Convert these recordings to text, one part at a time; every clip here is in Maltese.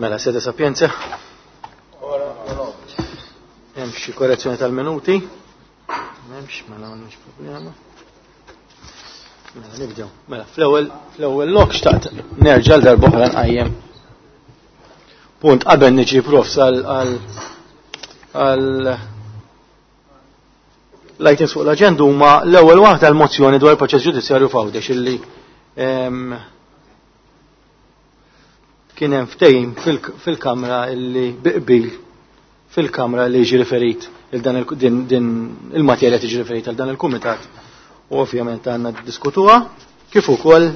Mela, sede sapienza. Hemm xi korrezzjoni tal-minuti? M'hemmx, mela m'għandniex problema. Mela nibdew. Mela, fl-ewwel fl-ewwel lok xtaqt nerġa' l darb'oħra nqajjem. Punt qabel niġi profs għal għal l-items fuq l-aġenda huma l-ewwel waħda l-mozzjoni dwar il-proċess ġudizzjarju f'Għawdex illi kien hemm ftehim fil-Kamra illi biqbil fil-Kamra li jiġi riferit il dan din il-materja tiġi riferita għal dan il-kumitat u ovvjament għandna diskutuha kif ukoll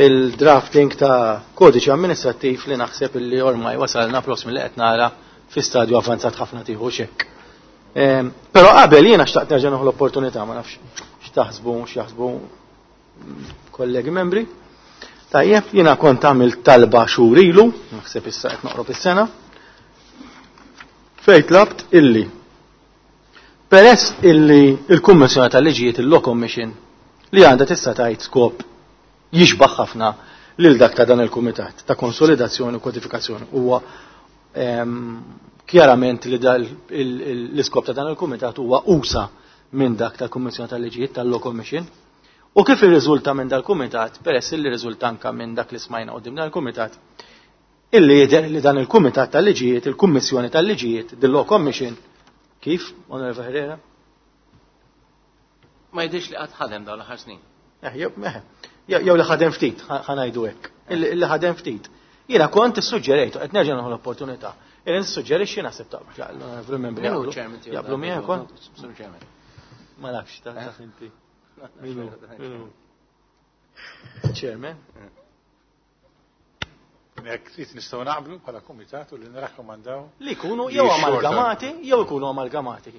il-drafting ta' kodiċi amministrattiv li naħseb illi ormai wasalna prosmi li qed nara fi stadju avanzat ħafna tieħu xekk. Però qabel jiena xtaqt nerġa' nieħu l-opportunità ma nafx x'taħsbu x'jaħsbu kollegi membri. Tajjeb, jiena kont għamilt talba xhur ilu, naħseb issa qed noqrob is-sena, fejn tlabt illi peress illi il-Kummissjoni tal-Liġijiet il-Law Commission li għandha tista' tgħid skop jixbaħ ħafna lil dak ta' dan il-Kumitat ta' konsolidazzjoni u kodifikazzjoni huwa kjarament li l-iskop ta' dan il-Kumitat huwa usa minn dak tal-Kummissjoni tal-Liġijiet tal-Law Commission. U kif irriżulta minn dal-kumitat, peress li riżulta anka minn dak li smajna qudiem dan il-kumitat, illi jidher li dan il-kumitat tal-liġijiet, il-Kummissjoni tal-Liġijiet, the Law Commission, kif, Onorevole Herrera? Ma jidhirx li qatt ħadem dawn l-aħħar snin. Eh, jew li ħadem ftit, ħanajdu hekk. Illi ħadem ftit. Jiena kont issuġġerejtu, qed nerġa' nieħu l-opportunità. Illi nissuġġerixxi naħseb ta' l-onorevoli membri jaqblu miegħek ukoll. Ma nafx ta' eh? inti. Chairman. Jekk trid nistgħu naqblu bħala kumitat u li nirrakkomandaw. Li jkunu jew amalgamati jew ikunu amalgamati.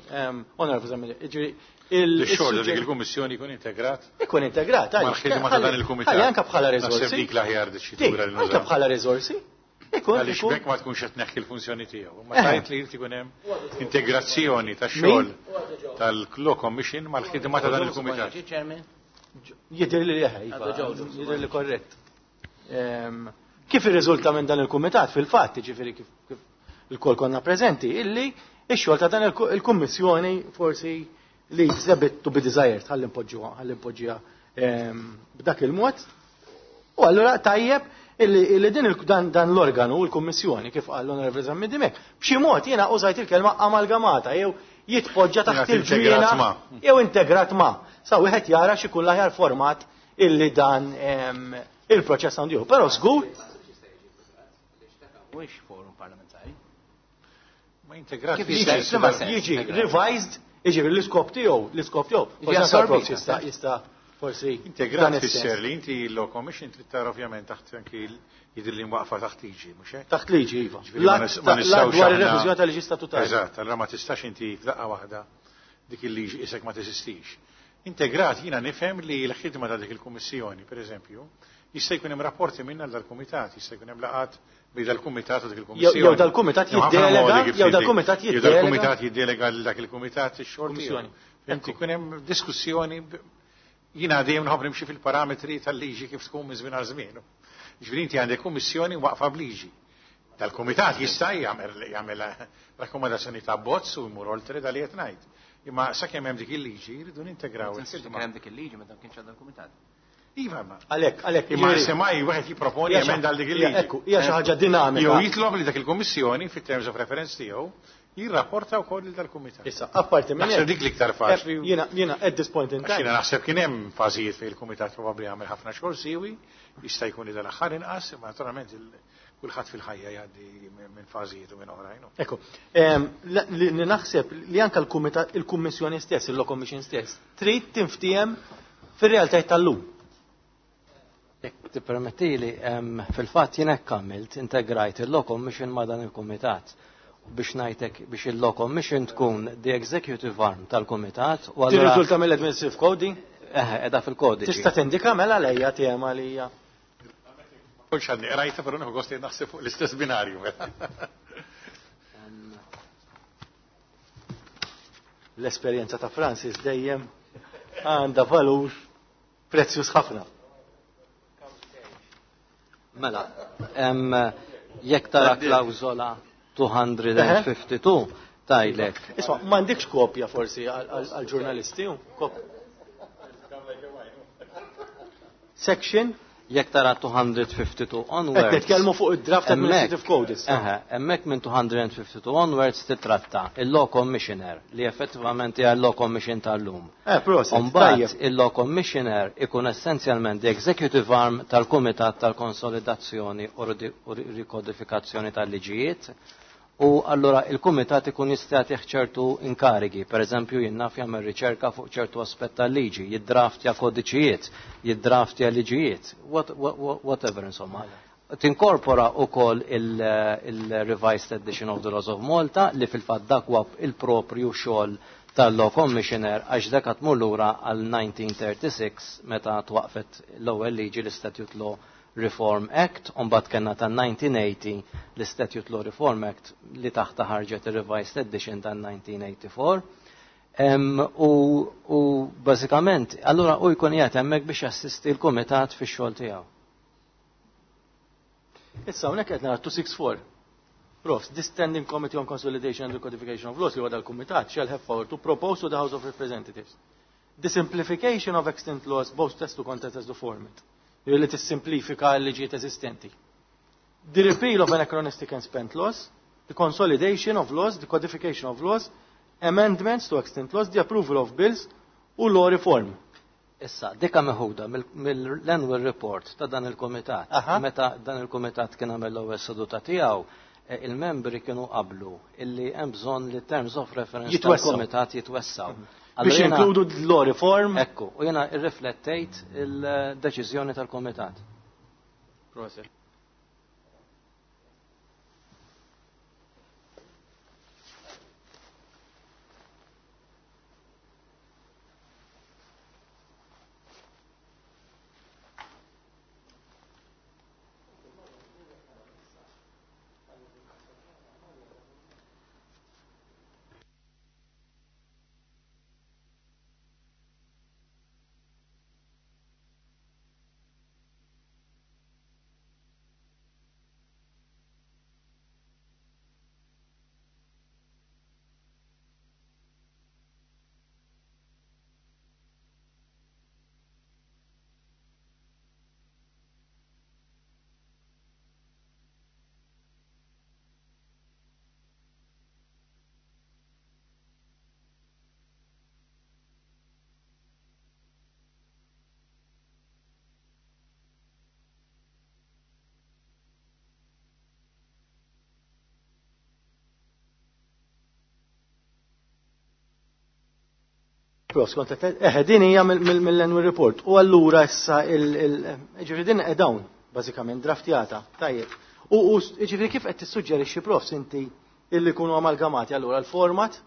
Onorevoli Zammit, jiġri il-xogħol dik il-kummissjoni jkun integrat. Ikun integrat, mal-ħidma ta' dan il-kumitat. Ħalli anke bħala riżorsi. Naħseb dik l-aħjar diċitura li Anke bħala riżorsi. Ikun. Għaliex bekk ma tkunx qed tneħħi l-funzjoni tiegħu. Ma tajt li jrid ikun hemm integrazzjoni tax-xogħol tal-Law Commission mal-ħidma ta' dan il-kumitat. Jidher li iva, jidher li korrett. Kif irriżulta minn dan il-kumitat fil-fatt, jiġifieri kif il-kol konna preżenti, illi ix-xogħol ta' dan il-kummissjoni forsi li a bit to be desired, ħalli npoġġuha, ħalli npoġġiha b'dak il-mod. U allura tajjeb illi din dan l-organu, l-kummissjoni, kif qal l-Onorevoli Zammit Dimech, b'xi mod jiena użajt il-kelma amalgamata jew jitpoġġa taħt il-ġwiena jew integrat ma'. Sa wieħed jara x'ikun l-aħjar format illi dan il-proċess għandu jieħu. Però żgur. Mhuwiex forum parlamentari. Ma integrat jiġi revised, jiġi l-iskop tiegħu, l-iskop tiegħu. Forsi jista' jista' forsi. Integrat fisser li inti l-Law Commission trid tara ovvjament taħt anki jidher li mwaqfa taħt liġi, mhux hekk? Taħt liġi, iva. Ma nistgħux dwar ir-reviżjoni tal-liġi statutari. Eżatt, allura ma tistax inti f'daqqa waħda dik il-liġi isek ma teżistix. Integrat jiena nifhem li l-ħidma ta' dik il-kummissjoni, per eżempju, jista' jkun hemm rapporti minna dal-kumitat, jista' jkun hemm laqat bejn dal-kumitat u dik il-kummissjoni. Jew dal-kumitat jiddelega, jew dal-kumitat jiddelega. Jew dal-kumitat jiddelega lil dak il-kumitat ix-xogħol tiegħu. Inti jkun hemm diskussjoni jiena dejjem nħobb nimxi fil-parametri tal-liġi kif tkun minn żmien għal żmien. Ġifieri inti għandek kummissjoni waqfa b'liġi. Dal-kumitat jista' jagħmel jagħmel rakkomandazzjoni ta' bozz u jmur oltre dal qed ngħid. Imma sakemm hemm dik il-liġi jridu nintegraw. Kien hemm dik il-liġi meta kienx għadha l-kumitat. Iva ma. Għalhekk, għalhekk. Imma semmai wieħed jipproponi emenda għal dik il-liġi. Ekku, hija xi ħaġa dinamika. Jew jitlob li dak il-kummissjoni fit-terms of reference tiegħu jirrapporta wkoll lil dal-kumitat. Issa, apparti minn Naħseb dik l-iktar faċli. Jiena jiena at this point in time. Jiena naħseb kien hemm fażijiet fejn il-kumitat probabbli għamel ħafna xogħol siwi, jista' jkun li dal-aħħar inqas, imma naturalment kulħadd fil-ħajja jgħaddi minn fażijiet u minn oħrajn. Ekku, li naħseb li anke l-kumitat il-kummissjoni stess, il-Law Commission stess, trid tinftiehem fir-realtajiet tal-lum. Jekk tippermettili, fil-fatt jien hekk għamilt, integrajt il-Law Commission ma' dan il-kumitat biex ngħidlek biex il-Law Commission tkun the executive arm tal-kumitat. u allura Tirriżulta mill-administrative code? Eh, edha fil-kodiċi. Tista' tindika mela lejja tema li hija. Kontx għadni qrajta, però nieħu gost li naħseb fuq l-istess binarju. L-esperjenza ta' Francis dejjem għandha valur prezzjuż ħafna. Mela, jekk tara klawżola 252 tajlek. Isma', m'għandekx kopja forsi għal-ġurnalisti? Section? Jekk tara 252 onwards. Qed nitkellmu fuq id-draft Administrative Code issa. Eħe, hemmhekk minn 252 onwards titratta il-Law Commissioner li effettivament hija l-Law Commission tal-lum. Proset. Mbagħad il-Law Commissioner ikun essenzjalment the executive arm tal-Kumitat tal-Konsolidazzjoni u Rikodifikazzjoni tal-Liġijiet. U allura il-kumitat ikun jista' jagħtih ċertu inkarigi, per eżempju jien naf jagħmel riċerka fuq ċertu aspett tal-liġi, jiddraftja kodiċijiet, jiddraftja liġijiet, whatever insomma. Tinkorpora wkoll il-Revised Edition of the Laws of Malta li fil-fatt dak huwa il-proprju xogħol tal-Law Commissioner għax dak tmur lura għal 1936 meta twaqfet l-ewwel liġi l-Statute Law Reform Act, u mbagħad kellna tan-1980 l-Statute Law Reform Act li taħta ħarġet il-Revised Edition tan-1984. U bażikament, allura u jkun qiegħed hemmhekk biex jassisti l-kumitat fix-xogħol tiegħu. Issa hawnhekk qed nara 264. Profs, this Standing Committee on Consolidation and Recodification of Laws li huwa dal-kumitat shall have power to propose to the House of Representatives the simplification of extant laws both as to content as to format. Li tissimplifika l-liġijiet eżistenti. The repeal of anachronistic and spent laws, the consolidation of laws, the codification of laws, amendments to extant laws, the approval of bills u law reform. Issa, dika meħuda mill-annual report ta' dan il-komitat. Meta dan il-komitat kien għamel l-ewwel seduta tiegħu, il-membri kienu qablu illi hemm bżonn li terms of reference tal-komitat jitwessaw. Biex jinkludu law reform. Ekku, u jiena irriflettejt il-deċiżjoni tal-komitat. Proset. Din hija mill-annual report. U allura issa ġifieri din dawn bażikament draftjata. Tajjeb. U ġifieri kif qed tissuġġerixxi profs inti illi jkunu amalgamati allura l-format?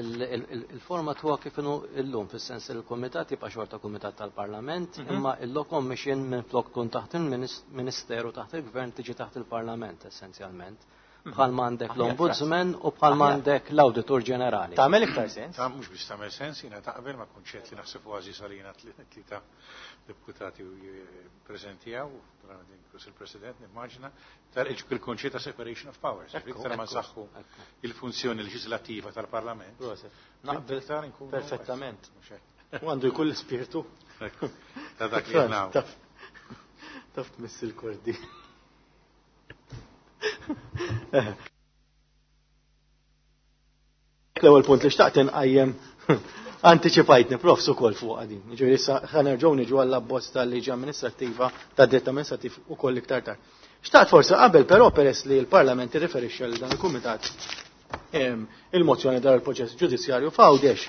Il-format huwa kif inhu llum fis-sens li l-kumitat jibqa' xorta kumitat tal-Parlament, imma il-Law Commission minflok tkun taħt il-Ministeru taħt il-Gvern tiġi taħt il-Parlament essenzjalment. Bħal m'għandek l-Ombudsman u bħal m'għandek l-Awditur Ġenerali. Tagħmel iktar sens? Ta' mhux biex tagħmel sens, jiena taqbel ma' kunċett li naħseb kważi salina tlieta deputati preżenti hawn, inkluż il-President nimmaġina, il-kunċett ta' separation of powers. Iktar ma nsaħħu il-funzjoni leġislattiva tal-Parlament. Naqbel perfettament. U għandu jkun l-ispirtu. Ta' dak li naw. Taf tmiss il-kordi. L-ewwel punt li xtaqt inqajjem antiċipajtni profs ukoll fuq din. Jiġifieri issa ħa nerġgħu niġu għall-abbozz tal-liġi amministrattiva tad-dritt amministrattiv ukoll iktar tard. Xtaqt forsi qabel però peress li l-Parlament irriferixxa lil dan il-Kumitat il-mozzjoni dwar il-proċess ġudizzjarju f'Għawdex.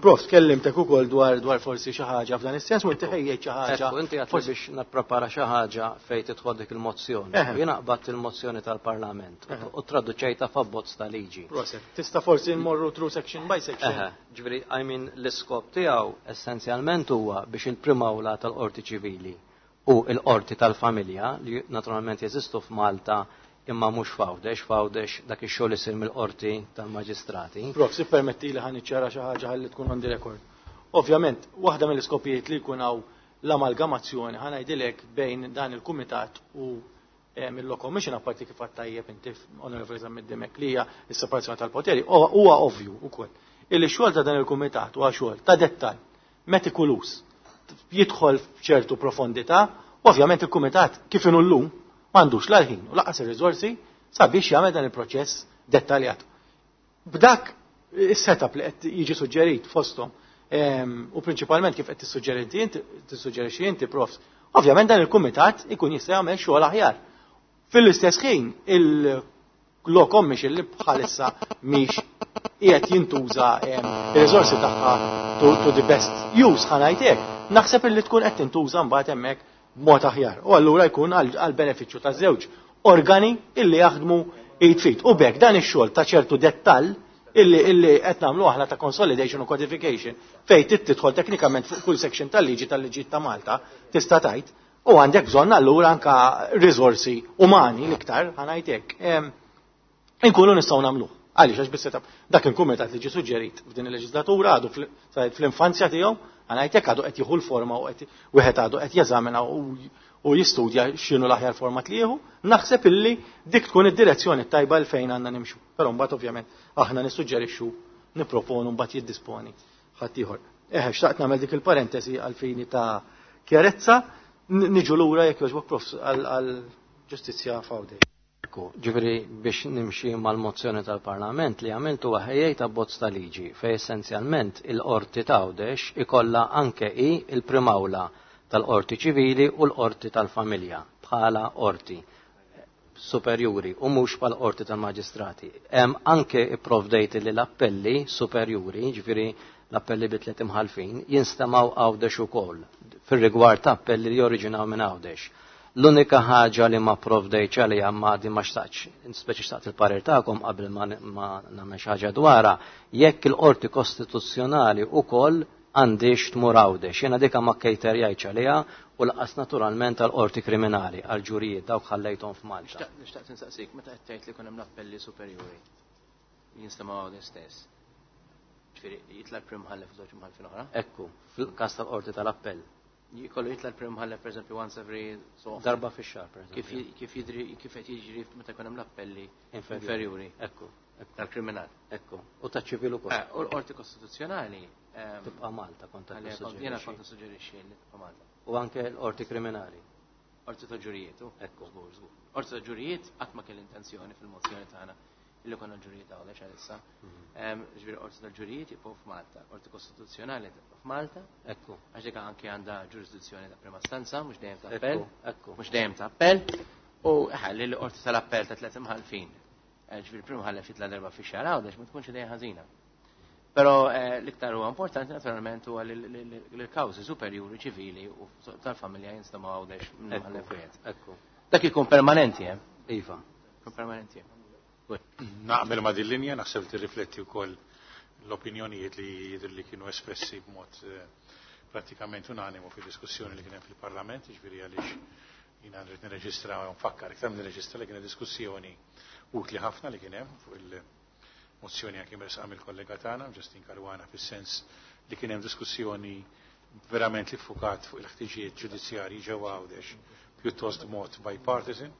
Prof, tkellimtek ukoll dwar forsi xi ħaġa f'dan is-sens u inti ħejjejt xi ħaġa. Ekku, inti għedt biex nipprepara xi ħaġa fejn tidħol dik il-mozzjoni. Jiena qbadt il-mozzjoni tal-Parlament u traduċejta f'abbozz ta' liġi. Proset, tista' forsi nmorru through section by section. Ġifieri, I mean, l-iskop tiegħu essenzjalment huwa biex il-Prim'Awla tal-Qorti Ċivili u l-Qorti tal-Familja li naturalment jeżistu f'Malta imma mhux f'Għawdex, f'Għawdex dak ix-xogħol isir mill-qorti tal-maġistrati. Prof, si permetti li ħa niċċara xi ħaġa ħalli tkun on the record. Ovvjament, waħda mill-iskopijiet li jkun hawn l-amalgamazzjoni, ħa ngħidilek, bejn dan il-kumitat u il-Law Commission, apparti kif għedt tajjeb inti, Onorevoli Zammit Dimech, li hija s-separazzjoni tal-poteri, huwa ovvju wkoll illi xogħol ta' dan il-kumitat huwa xogħol ta' dettal, metikoluż, jidħol f'ċertu profondità, u ovvjament il-kumitat kif inhu llum m'għandux la l-ħin u lanqas ir-riżorsi sabiex jagħmel dan il-proċess dettaljat. B'dak is-setup li qed jiġi suġġerit fosthom u prinċipalment kif qed tissuġġeriti inti, tissuġġerixxi inti, Profs, ovvjament dan il-kumitat ikun jista' jagħmel xogħol aħjar. Fil-istess ħin il-Law Commission li bħalissa mhix qiegħed jintuża ir-riżorsi tagħha to the best use, ħa ngħid hekk, naħseb illi tkun qed tintuża mbagħad hemmhekk b'mod aħjar. U allura jkun għal benefiċċju ta' żewġ organi illi jaħdmu id f'id. U b'hekk dan ix-xogħol ta' ċertu dettall illi qed nagħmlu aħna ta' consolidation u codification, fejn trid tidħol teknikament fuq kull section tal-liġi tal-liġi ta' Malta, tista' tgħid, u għandek bżonn allura anka riżorsi umani l-iktar, ħa ngħid hekk. Inkunu nistgħu nagħmluh. Għaliex, għax bis-setup dak il-kumitat li ġie suġġerit f'din il-leġislatura għadu fl-infanzja tiegħu, ħa ngħid hekk, għadu qed jieħu l-forma u qed wieħed għadu qed jeżamina u jistudja x'inhu l-aħjar format li jieħu, naħseb illi dik tkun id-direzzjoni tajba l fejn għandna nimxu. Però mbagħad ovvjament aħna nissuġġerixxu, nipproponu, mbagħad jiddisponi ħaddieħor. Eħe, xtaqt nagħmel dik il-parentesi għal fini ta' kjarezza, niġu lura jekk jogħġbok, Prof, għal ġustizzja f'Għawdex. Ekku, ġifieri biex nimxi mal-mozzjoni tal-Parlament li għamiltu ħejjejt abbozz ta' liġi fej essenzjalment il-qorti ta' Għawdex ikolla anke i il-primawla tal-qorti ċivili u l-qorti tal-familja bħala qorti superjuri u mhux bħal qorti tal-maġistrati. Hemm anke ipprovdejt li l-appelli superjuri, ġifieri l-appelli bi tliet imħalfin, jinstemaw Għawdex ukoll fir-rigward ta' appelli li joriġinaw minn Għawdex. L-unika ħaġa li ma provdejtx għalija ma di ma xtaqx, speċi xtaqt il-parir tagħkom qabel ma nagħmel xi ħaġa dwarha, jekk il-qorti kostituzzjonali ukoll għandix tmur Għawdex. Jiena dika ma kejterjajtx għaliha u lanqas naturalment għal-qorti kriminali, għal-ġurijiet, dawk ħallejthom f'Malta. Nixtaq insaqsik, meta qed tgħid li jkun hemm l-appelli superjuri jinstemaw Għawdex stess. Ġifieri jitla' l-prim mħallef u żewġ imħallfin oħra? Ekku, fil-każ tal-qorti tal-appell. Jkollu jitla' l-prim mħallef, pereżempju, once every so often. Darba fix-xahar, pereżempju. Kif jidri, kif qed jiġri meta jkun hemm l-appelli Inferjuri. Inferjuri Ekku. tal-kriminal. Ekku, u ta' ċivil ukoll. U l-qorti kostituzzjonali Tibqa' Malta kont qed għalija jiena tissuġġerixxi. kont nissuġġerixxi li tibqa' Malta. U anke l-qorti kriminali. Qorti ta' ġurijiet, u? Ekku. Żgur, żgur. Qorti ta' ġurijiet qatt ma kelli intenzjoni fil-mozzjoni tagħna illi konna ġurijiet Għawdex għalissa. Ġifieri qorti tal-ġurijiet jibqgħu f'Malta, qorti kostituzzjonali tibqa' f'Malta. Ekku. Għax dik anke għandha ġurisdizzjoni ta' prima istanza, mhux dejjem ta' appell. Ekku. Mhux dejjem ta' appell. U ħalli li qorti tal-appell ta' tliet imħallfin. Ġifieri prim imħallef jitla' darba fix-xahar Għawdex ma tkunx idea ħażina. Però l-iktar huwa importanti naturalment huwa li l-kawżi superjuri ċivili u tal-familja jinstemaw Għawdex minn imħallef wieħed. Ekku. Dak ikun permanenti, eh? Iva. Ikun permanenti. Naqbel ma' din linja, naħseb tirrifletti wkoll l-opinjonijiet li jidher li kienu espressi b'mod pratikament unanimu fid-diskussjoni li kien hemm fil-Parlament, jiġifieri għaliex jiena rrid nirreġistra u nfakkar iktar nirreġistra li kien diskussjoni utli ħafna li kien hemm fuq il-mozzjoni anke mresqa mill-kollega tagħna Justin Caruana, fis-sens li kien hemm diskussjoni verament li ffukat fuq il-ħtiġijiet ġudizzjarji ġewwa Għawdex pjuttost mod bipartisan.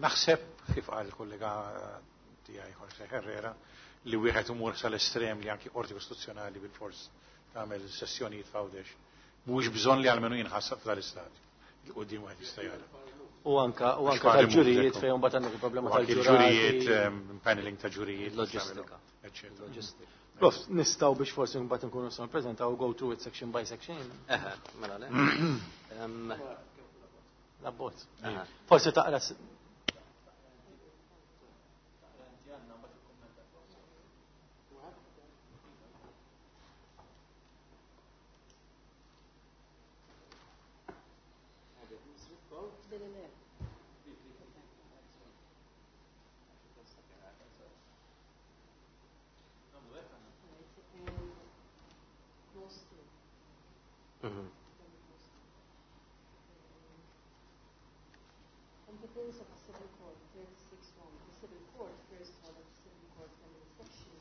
Naħseb kif qal il-kollega tiegħi Jorge Herrera li wieħed imur sal-estrem li anki qorti kostituzzjonali bil-fors tagħmel sessjonijiet f'Għawdex mhuwiex bżonn li almenu jinħassab f'dal-istadju. Il-qudiem wieħed jista' jara. U anka Għax tal-ġurijiet ekku. fejn mbagħad għandek il-problema U anki tal-ġurati. ġurijiet, paneling ta' ġurijiet, Loġistika. eccetera. Loġistika. Prof, nistgħu biex forsi mbagħad nkunu nistgħu nippreżentaw go through it section by section. Eħe, mela le. L-abbozz. Eħe. Forsi taqra Competence of the Civil Court, 36.1. The Civil Court, first hall of the Civil Court, family section,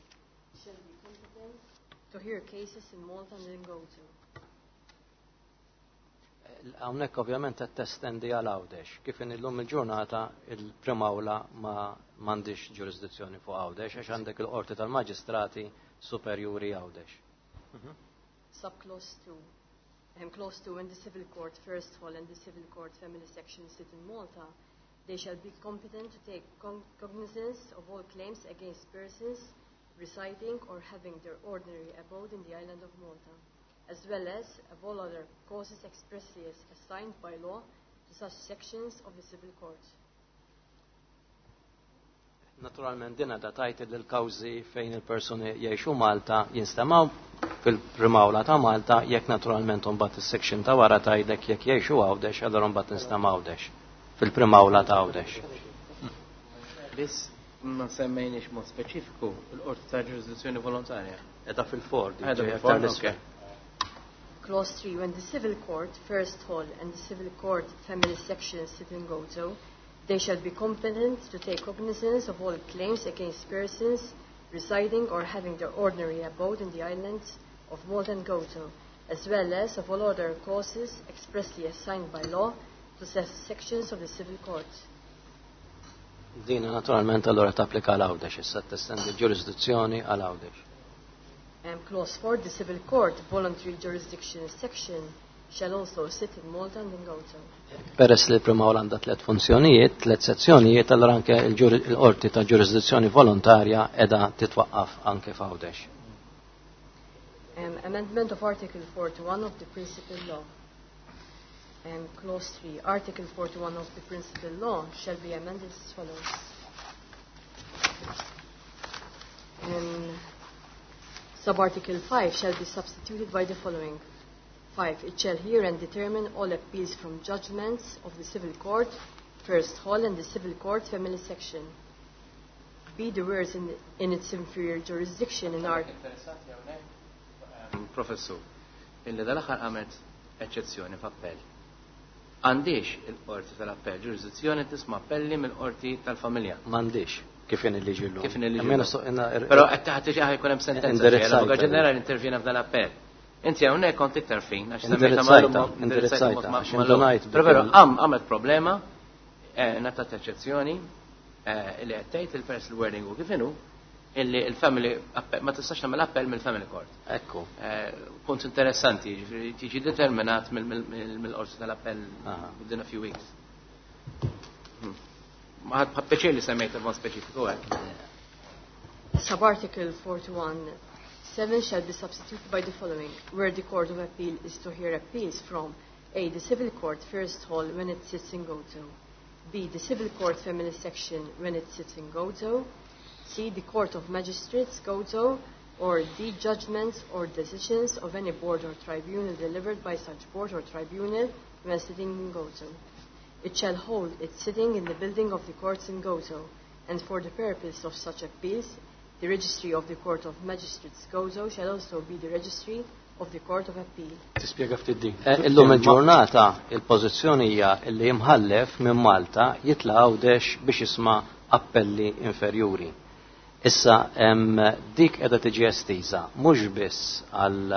shall be competent to hear cases in Malta and then go to. Hawnhekk ovvjament qed testendi għal Għawdex. Kif in illum il-ġurnata il-Primawla ma m'għandix ġurisdizzjoni fuq Għawdex għax għandek il-Qorti tal-Maġistrati Superjuri Għawdex. Subclause 2. Clause 2, when the Civil Court First Hall and the Civil Court Family Section sit in Malta, they shall be competent to take cognizance of all claims against persons residing or having their ordinary abode in the island of Malta, as well as of all other causes expressly as assigned by law to such sections of the Civil Court. Naturalment din għadha tajt li l-kawżi fejn il-persuni jgħixu Malta jinstemaw fil-Primawla ta' Malta, jekk naturalment imbagħad is-section ta' wara tgħidlek jekk jgħixu Għawdex, allura mbagħad tinstema' Għawdex fil-Primawla ta' Għawdex. Biss ma semmejniex mod speċifiku l-qorti ta' ġurisdizzjoni volontarja. Qiegħda fil-four. Qiegħda fil-four, okay. Clause 3, when the Civil Court First Hall and the Civil Court Family Section sit in Gozo, they shall be competent to take cognizance of all claims against persons residing or having their ordinary abode in the islands of Malta and Gozo, as well as of all other causes expressly assigned by law to such sections of the Civil Court. Dina naturalment allora tapplika għal Għawdex, issa testendi ġurisdizzjoni għal Għawdex. Clause 4, the Civil Court Voluntary Jurisdiction Section shall also sit in Malta and in Gozo. Peress li l-Primawla għandha tliet funzjonijiet, tliet sezzjonijiet, allora anke il-qorti ta' ġurisdizzjoni volontarja qiegħda titwaqqaf anke f'Għawdex. Amendment of Article 41 of the Principal Law. Clause 3, Article 41 of the Principal Law shall be amended as follows. Sub-Article 5 shall be substituted by the following. 5. It shall hear and determine all appeals from judgments of the Civil Court, First Hall, and the Civil Court Family Section. B. The words in its inferior jurisdiction in art. Interessanti hawnhekk, Professur, illi dal-aħħar għamet eċċezzjoni f'appell. Għandix il-qorti tal-appell ġurisdizzjoni tisma' appelli mill-qorti tal-familja. M'għandix, kif in il-liġi llum. Kif in il-liġi Almeno llum. so, Però qed taħt tiġi ħaj jkun hemm sentenza. Indirizzajta. L-Avukat Ġenerali intervjena f'dan l-appell. Inti hawnhekk kont iktar fin, għax semmejta Indirizzajta, mal-lum, indirizzajta, indirizzajta għax mal-lum. indunajt Però veru, bil- għamet problema, ngħatat eċċezzjoni, li qed tgħid il-pers il-wording u kif inhu, illi il-family ma tistax tagħmel appell mill-family court. Ekku. Punt interessanti, jiġifieri tiġi determinat mill-qorti tal-appell within a few weeks. Ma ħadd pjaċir li semmejt mod speċifiku hekk. Sub-Article 41.7 shall be substituted by the following. Where the Court of Appeal is to hear appeals from A. The Civil Court First Hall when it sits in Gozo. B. The Civil Court Family Section when it sits in Gozo. C. The Court of Magistrates Gozo. Or D. Judgments or decisions of any board or tribunal delivered by such board or tribunal when sitting in Gozo. It shall hold its sitting in the building of the courts in Gozo, and for the purpose of such appeals, the registry of the Court of Magistrates Gozo shall also be the registry of the Court of Appeal. Tispjega ftit din. Illum il-ġurnata il-pożizzjoni hija li imħallef minn Malta jitla' Għawdex biex jisma' appelli inferjuri. Issa dik qiegħda tiġi estiża mhux biss għal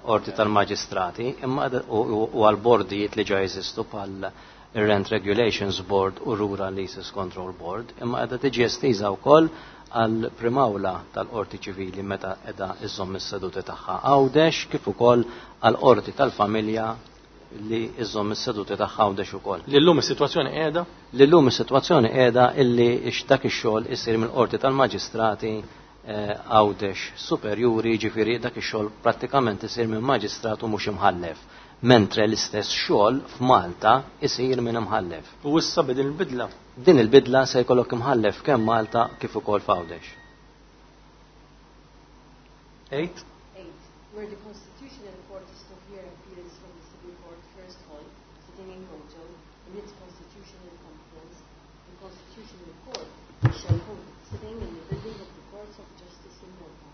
qorti tal-maġistrati imma u għal bordijiet li ġa jeżistu bħal Rent Regulations Board u Rural Leases Control Board, imma qiegħda tiġi estiża wkoll għal primawla tal-qorti ċivili meta qiegħda iżomm is-seduti tagħha Għawdex, kif ukoll għal qorti tal-familja li iżomm is-seduti tagħha Għawdex ukoll. Li llum is-sitwazzjoni qiegħda? Li llum is-sitwazzjoni qiegħda illi dak ix-xogħol isir mill-qorti tal-maġistrati Għawdex superjuri, ġifieri dak ix-xogħol prattikament isir minn maġistrat u mhux imħallef, mentre l-istess xogħol f'Malta isir minn imħallef. U issa b'din il-bidla? Din il-bidla se jkollok imħallef kemm Malta kif ukoll f'Għawdex. 8. 8. Where the Constitutional Court is to hear appeals from the Civil Court First Hall, sitting in Gozo, in its constitutional conference, the Constitutional Court shall hold its sitting in the building of the Courts of Justice in Malta,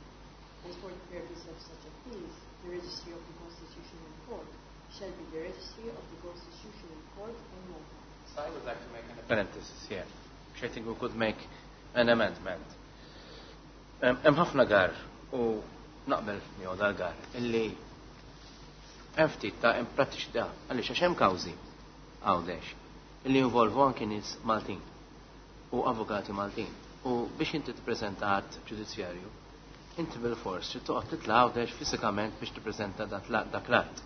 and for the purpose of such appeals, the registry of the Constitutional Court shall be the registry of the Constitutional Court in Malta. So I would like to make an parenthesis here, which I think we could make an amendment. Hemm ħafna gar u naqbel miegħu dal-gar illi Hemm ftit ta' imprattiċità għaliex għax hemm kawżi Għawdex li jinvolvu anki nies Maltin u avukati Maltin. U biex inti tippreżenta att ġudizzjarju, inti bilfors trid toqgħod titla' Għawdex fiżikament biex tippreżenta dak l-att.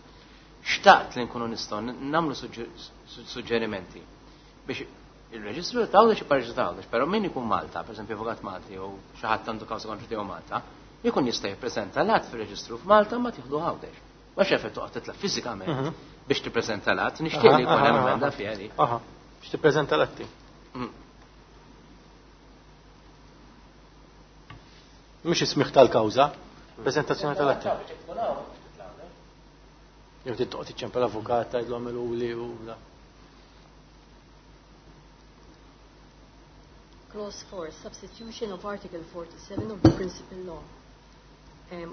Xtaqt li nkunu nistgħu nagħmlu suġġerimenti biex il-reġistru ta' Għawdex jibqa' reġistru ta' Għawdex, però min ikun Malta, pereżempju avukat Malti jew xi ħadd għandu kawża kontra tiegħu Malta, jkun jista' jippreżenta l-att fir-reġistru f'Malta ma tieħdu Għawdex. Ma xefet toqgħod titla' fiżikament biex tippreżenta l-att, nixtieq li jkun hemm emenda fiha di. Aha, biex tippreżenta l-atti. Mhux is-smigħ tal-kawża, preżentazzjoni tal-atti. Jew trid toqgħod iċċempel l-avukat tgħidlu għamiluli u da. Clause 4, substitution of Article 47 of the Principal Law.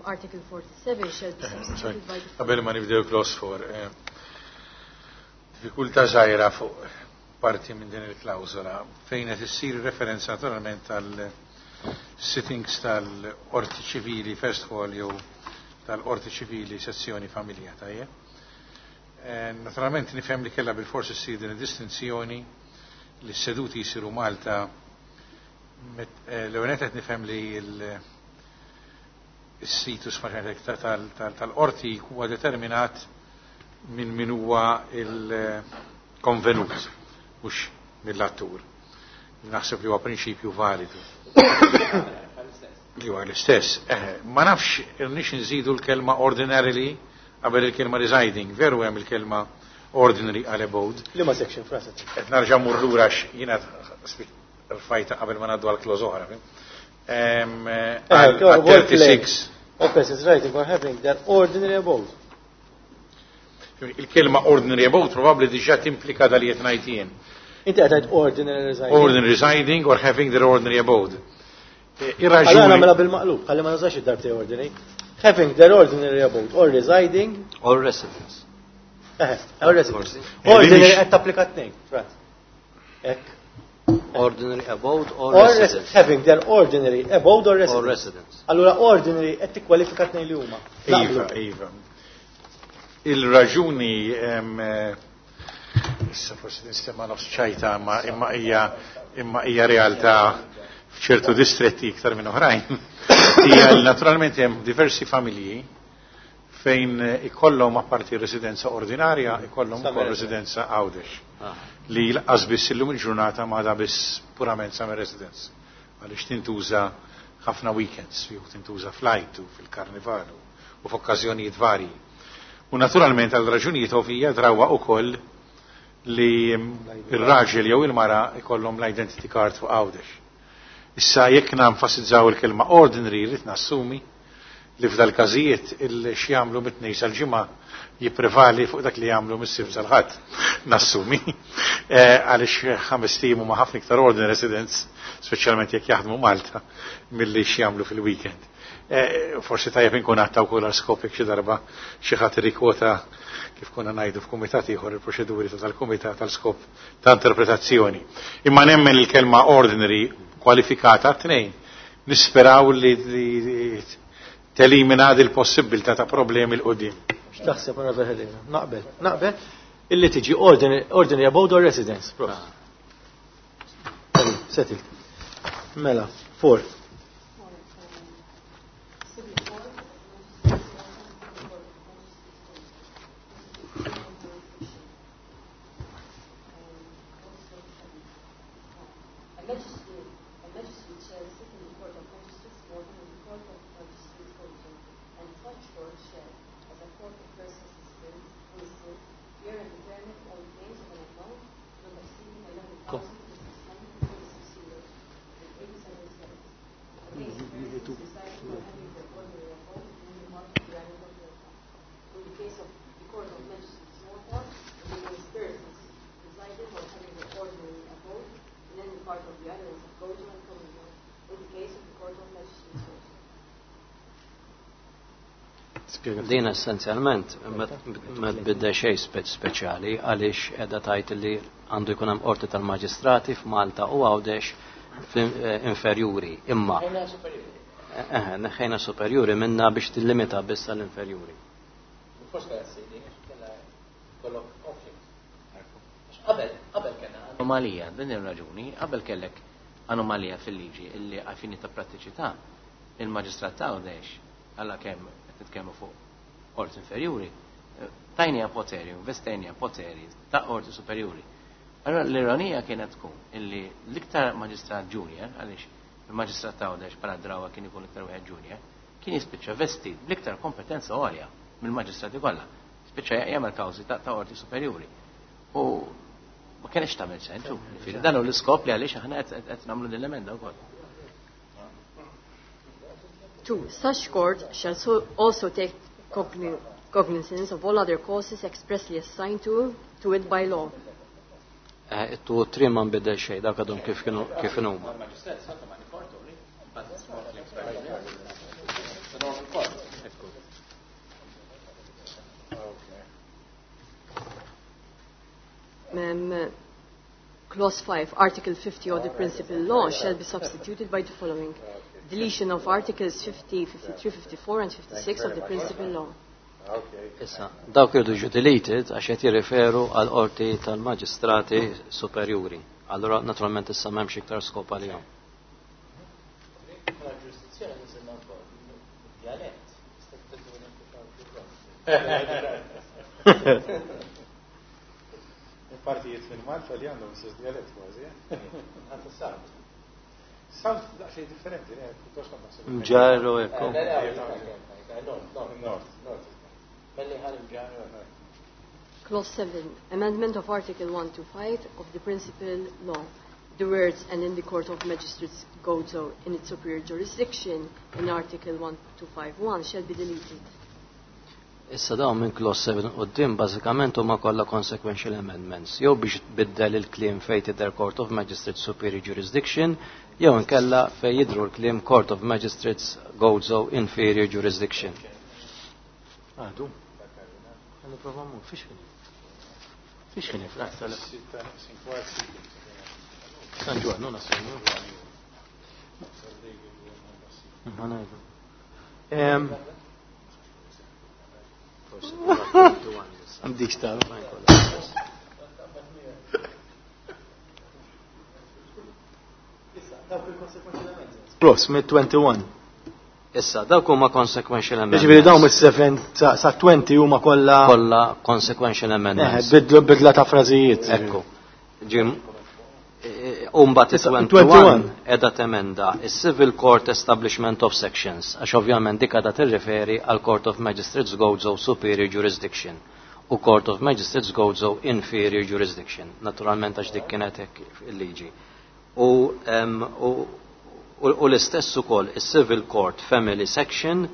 Article 47 shall be substituted by the Qabel ma nibdew clause 4, diffikultà żgħira fuq parti minn din il-klawżola fejn qed issir referenza naturalment tal sittings tal-Qorti Ċivili First Hall jew tal-Qorti Ċivili Sezzjoni Familja, tajjeb. Naturalment nifhem li kellha bilfors issir din id-distinzjoni li s-seduti jsiru Malta. L-ewwel qed nifhem li il-situs tal-qorti huwa determinat minn min huwa il-konvenut, mhux mill-attur. Naħseb li huwa prinċipju validu. Li huwa l-istess. Ma nafx irnix nżidu l-kelma ordinarily qabel il-kelma residing, veru hemm il-kelma ordinary għal abode. Liema section, frasa? Qed narġa' mmur lura jiena rfajta qabel ma ngħaddu għal clause oħra. Għal 36. All persons residing or having their ordinary abode. Il-kelma ordinary abode probabbli diġà timplika dal qed ngħid jien. Inti qed tgħid ordinary residing. Ordinary residing or having their ordinary abode. Ir-raġuni. Allora nagħmilha bil-maqlub, ħalli ma nużax id-darbtej ordinary. Having their ordinary abode or residing. Or residence. Or residence. Ordinary qed tapplika tnejn, Frans. Hekk. Ordinary abode or Or residence. Having their ordinary abode or residence. Or residence. Allura ordinary qed tikkwalifika tnejn li huma. Iva, Naqblu. iva. Il-raġuni, issa forsi nistema nofs ċajta, imma hija realtà f'ċertu distretti iktar minn oħrajn. Hija li naturalment hemm diversi familji fejn ikollhom apparti residenza ordinarja, ikollhom Summer ukoll residence. residenza Għawdex. Li lanqas biss illum il-ġurnata ma da biss purament summer residence. Għaliex tintuża ħafna weekends, jew tintuża flight u fil-karnival u f'okkażjonijiet varji. U naturalment għal raġunijiet ovvija drawa ukoll li ir-raġel jew il-mara ikollhom l-identity card fuq Għawdex. Issa jekk nenfasizzaw il-kelma ordinary, rrid nassumi li f'dal każijiet il x'jagħmlu mit-tnejn sal-ġimgħa jipprevali fuq dak li jagħmlu mis-Sibt sal-Ħadd. Nassumi. Għaliex 5 ijiem huma ħafna iktar ordinary residents, speċjalment jekk jaħdmu Malta, milli x'jagħmlu fil-weekend. Forsi tajjeb inkun għatta wkoll għal skop jekk xi darba xi ħadd irrikwota kif konna ngħidu f'kumitat ieħor il-proċeduri tal-kumitat tal-skop ta' interpretazzjoni. Imma nemmen il-kelma ordinary kwalifikata tnejn. Nisperaw li telimina dil possibilità ta' problemi 'l quddiem. X'taħseb Onorevole Herrera? Naqbel, naqbel illi tiġi ordinary abode or residence. Prof. Settled. Mela, 4. Din essenzjalment ma tbiddel xejn speċjali għaliex qiegħda tgħid li għandu jkun hemm qorti tal-maġistrati f'Malta u Għawdex inferjuri. Imma neħħejna superjuri minna biex tillimita biss għall-inferjuri. anomalija, din ir-raġuni, qabel kellek anomalija fil-liġi illi għal fini ta' prattiċità il-maġistrat ta' Għawdex, alla kemm qed nitkellmu fuq qorti inferjuri, tajnija poteri, investejnija poteri ta' qorti superjuri. Allora l-ironija kienet tkun illi l-iktar maġistrat junior, għaliex il-maġistrat ta' Għawdex bħala drawa kien ikun iktar wieħed junior, kien jispiċċa vestit bl-iktar kompetenza għolja mill-maġistrati kollha. Spiċċa jagħmel kawżi ta' qorti superjuri. U ma kienx tagħmel sens. Dan hu l-iskop li għaliex aħna qed nagħmlu din l-emenda wkoll. 2. Such court shall also take cognizance of all other causes expressly assigned to it by law. It-2 u 3 ma nbidel xejn, dak għadhom kif kienu kif huma. Clause 5, Article 50 of the Principal Law shall be substituted by the following. Deletion of Articles 50, 53, 54 and 56 of the Principal Law. Issa, dawk irdu ġu deleted għax qed jirriferu għal qorti tal-maġistrati superjuri. Allora, naturalment issa m'hemmx iktar skop għalihom. Ġurisdizzjoni niżilna wkoll dialett. Partijiet fil-Malta li għandhom istess dialett kważi. Għandu South. South daqsxejn differenti, pjuttost ma naħseb. Mġarru ekku. Nord. Clause 7, Amendment of Article 125 of the Principal Law. The words and in the Court of Magistrates Gozo in its superior jurisdiction in Article 1251 shall be deleted. Issa dawn minn clause 7 quddiem bażikament huma kollha consequential amendments, jew biex tbiddel il-kliem fejn tidher Court of Magistrates Superior Jurisdiction, jew inkella fejn jidhru l-kliem Court of Magistrates Gozo Inferior Jurisdiction. Għadu. Nipprova mmur, fiex kien? Fiex kien San Ġwann, non assegno. Ma ngħidu. Għandik sta. Plus, mid 21. Issa, dawk huma consequential amendments. Jiġifieri dawn mis-7 sa 20 huma kollha kollha consequential amendments. Bidla ta' frażijiet. Ekku. Ġim, Umbat 21 edha temenda is-Civil Court Establishment of Sections, għax ovvjament dik għadha tirriferi għal Court of Magistrates Gozo Superior Jurisdiction u Court of Magistrates Gozo Inferior Jurisdiction. Naturalment għax dik kienet hekk il-liġi. U l-istess ukoll is-Civil Court Family Section,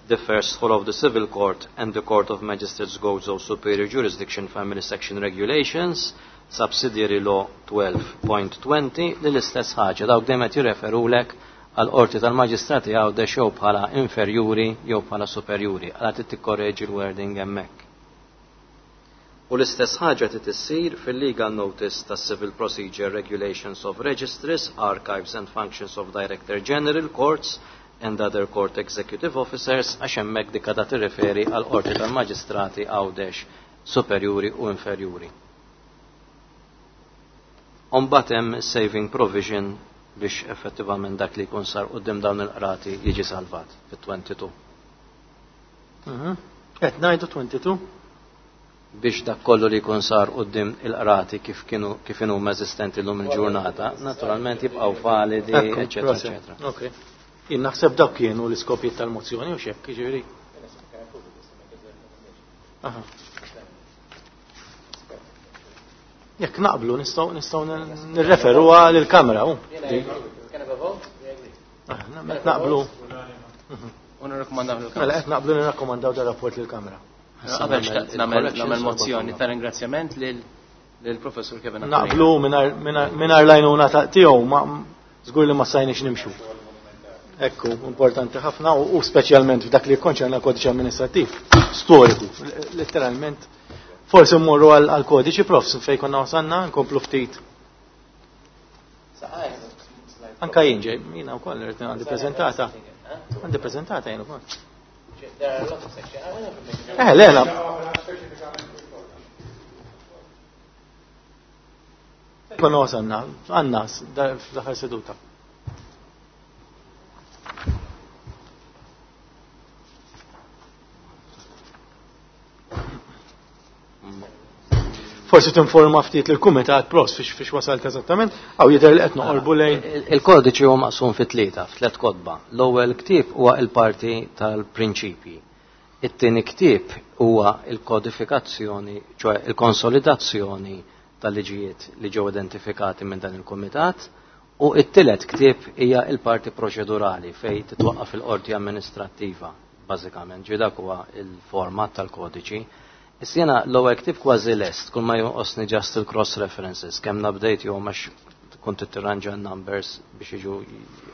the First Hall of the Civil Court and the Court of Magistrates Gozo Superior Jurisdiction Family Section Regulations, Subsidiary Law 12.20, li l-istess ħaġa, dawk dejjem qed jirreferulek għal qorti tal-maġistrati Għawdex jew bħala inferjuri jew bħala superjuri, għala trid tikkorreġi l-wording hemmhekk. U l-istess ħaġa trid issir fil-Legal Notice tas Civil Procedure Regulations of Registries, Archives and Functions of Director General Courts and Other Court Executive Officers, għax hemmhekk dik għadha tirriferi għal qorti tal-maġistrati Għawdex superjuri u inferjuri. Umbagħad hemm saving provision biex effettivament dak li jkun sar quddiem dawn il-qrati jiġi salvat fit-22. Qed ngħidu 22? Biex dak kollu li jkun sar quddiem il-qrati kif kienu kif inhuma eżistenti llum il-ġurnata, naturalment jibqgħu validi, eċetera, eċetera. Ok. Jien naħseb dak kienu l-iskopijiet tal-mozzjoni u x'hekk, jiġifieri. Aha. Jekk naqblu nistgħu nirreferuha lill-Kamra. Aħna qed naqblu. U nirrakkomandaw lill-Kamra. Mela qed naqblu nirrakkomandaw dar rapport lill-Kamra. Qabel xtaqt nagħmel mozzjoni ta' ringrazzjament lill-Professur Kevin Aquilina. Naqblu mingħajr l-għajnuna ta' tiegħu ma żgur li ma stajniex nimxu. Ekku, importanti ħafna u speċjalment f'dak li jikkonċerna l-kodiċi amministrattiv storiku, letteralment. Forsi mmorru għal kodiċi profs fejn konna wasanna, nkomplu ftit. Anka jien ġej, jiena wkoll irid għandi preżentata. Għandi preżentata jien ukoll. Le, la. Konna wasalna, għandna fl-aħħar seduta. Forsi tinforma ftit lill-kumitat pros fiex wasalt eżattament, għaw jidher li qed noqorbu lejn. Il-kodiċi huwa maqsum fi tlieta, f'tliet kotba. L-ewwel ktieb huwa l-parti tal-prinċipji. It-tieni ktieb huwa l-kodifikazzjoni, ċoe il-konsolidazzjoni tal-liġijiet li ġew identifikati minn dan il-kumitat, u t-tielet ktieb hija l-parti proċedurali fejn titwaqqaf il-qorti amministrattiva, bażikament. Ġi dak huwa l-format tal-kodiċi. Issa jiena l-ewwel ktieb kważi lest, kull ma jonqosni just il-cross references, kemm nabdejt jew għax kont tirranġa n-numbers biex jiġu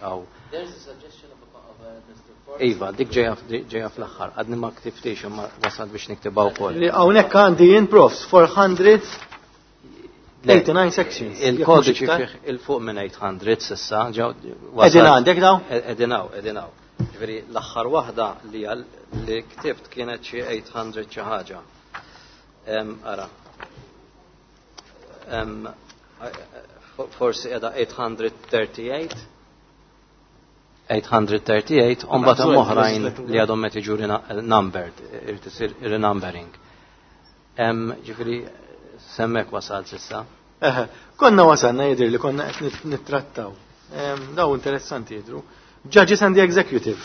għaw. There is a suggestion of a district court. Iva, dik ġejja fl-aħħar, għadni ma ktiftix imma wasalt biex niktibha wkoll. Li hawnhekk għandi jien profs 489 sections. Il-kodiċi fih il-fuq minn 800 s'issa, ġew Qegħdin għandek dawn? Qegħdin hawn, qegħdin hawn. Ġifieri l-aħħar waħda li ktibt kienet xi 800 xi ħaġa. Ara. Forsi qiegħda 838. 838, u mbagħad hemm oħrajn li għadhom qed jiġu numbered, irid isir renumbering. Ġifieri semmek wasal s'issa. Eħe, konna wasalna jidher li konna qed nittrattaw. Daw interessanti jidhru. Judges and the Executive.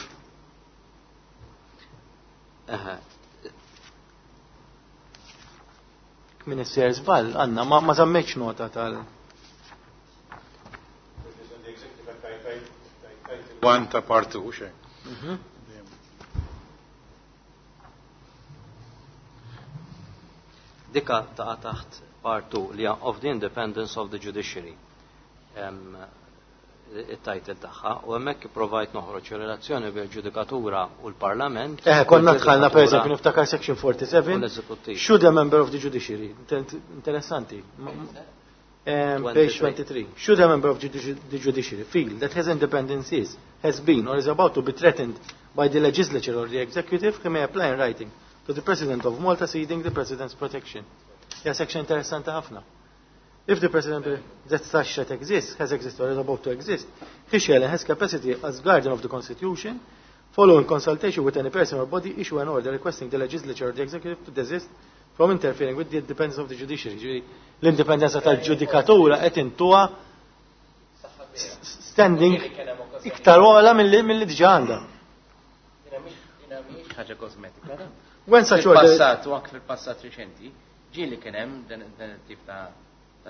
Eħe. Min isser żball, għandna ma żammejtx nota tal. One ta' part 2, xejn. Dika taqa' taħt part 2 li hija of the Independence of the Judiciary. Il-title tagħha, u hemmhekk ipprovajt noħroġ relazzjoni bejn ġudikatura u l-Parlament. Konna dħalna per eżempju niftakar section 47. U l-eżekuttiv. Should a member of the judiciary, interessanti. Page 23. Should a member of the judiciary feel that his independence is, has been or is about to be threatened by the legislature or the executive, he may apply in writing to the President of Malta seeking the President's protection. Ja, section interessanti ħafna. If the President that such that exists, has existed or is about to exist, he shall in his capacity as guardian of the Constitution, following consultation with any person or body, issue an order requesting the legislature or the executive to desist from interfering with the independence of the judiciary. Ġifieri, l-indipendenza tal-ġudikatura qed intuha standing iktar ogħla milli diġà għandha. Ħaġa kosmetika. When such order Fil-passat u anke fil-passat riċenti, ġieli kien hemm dan it-tip ta'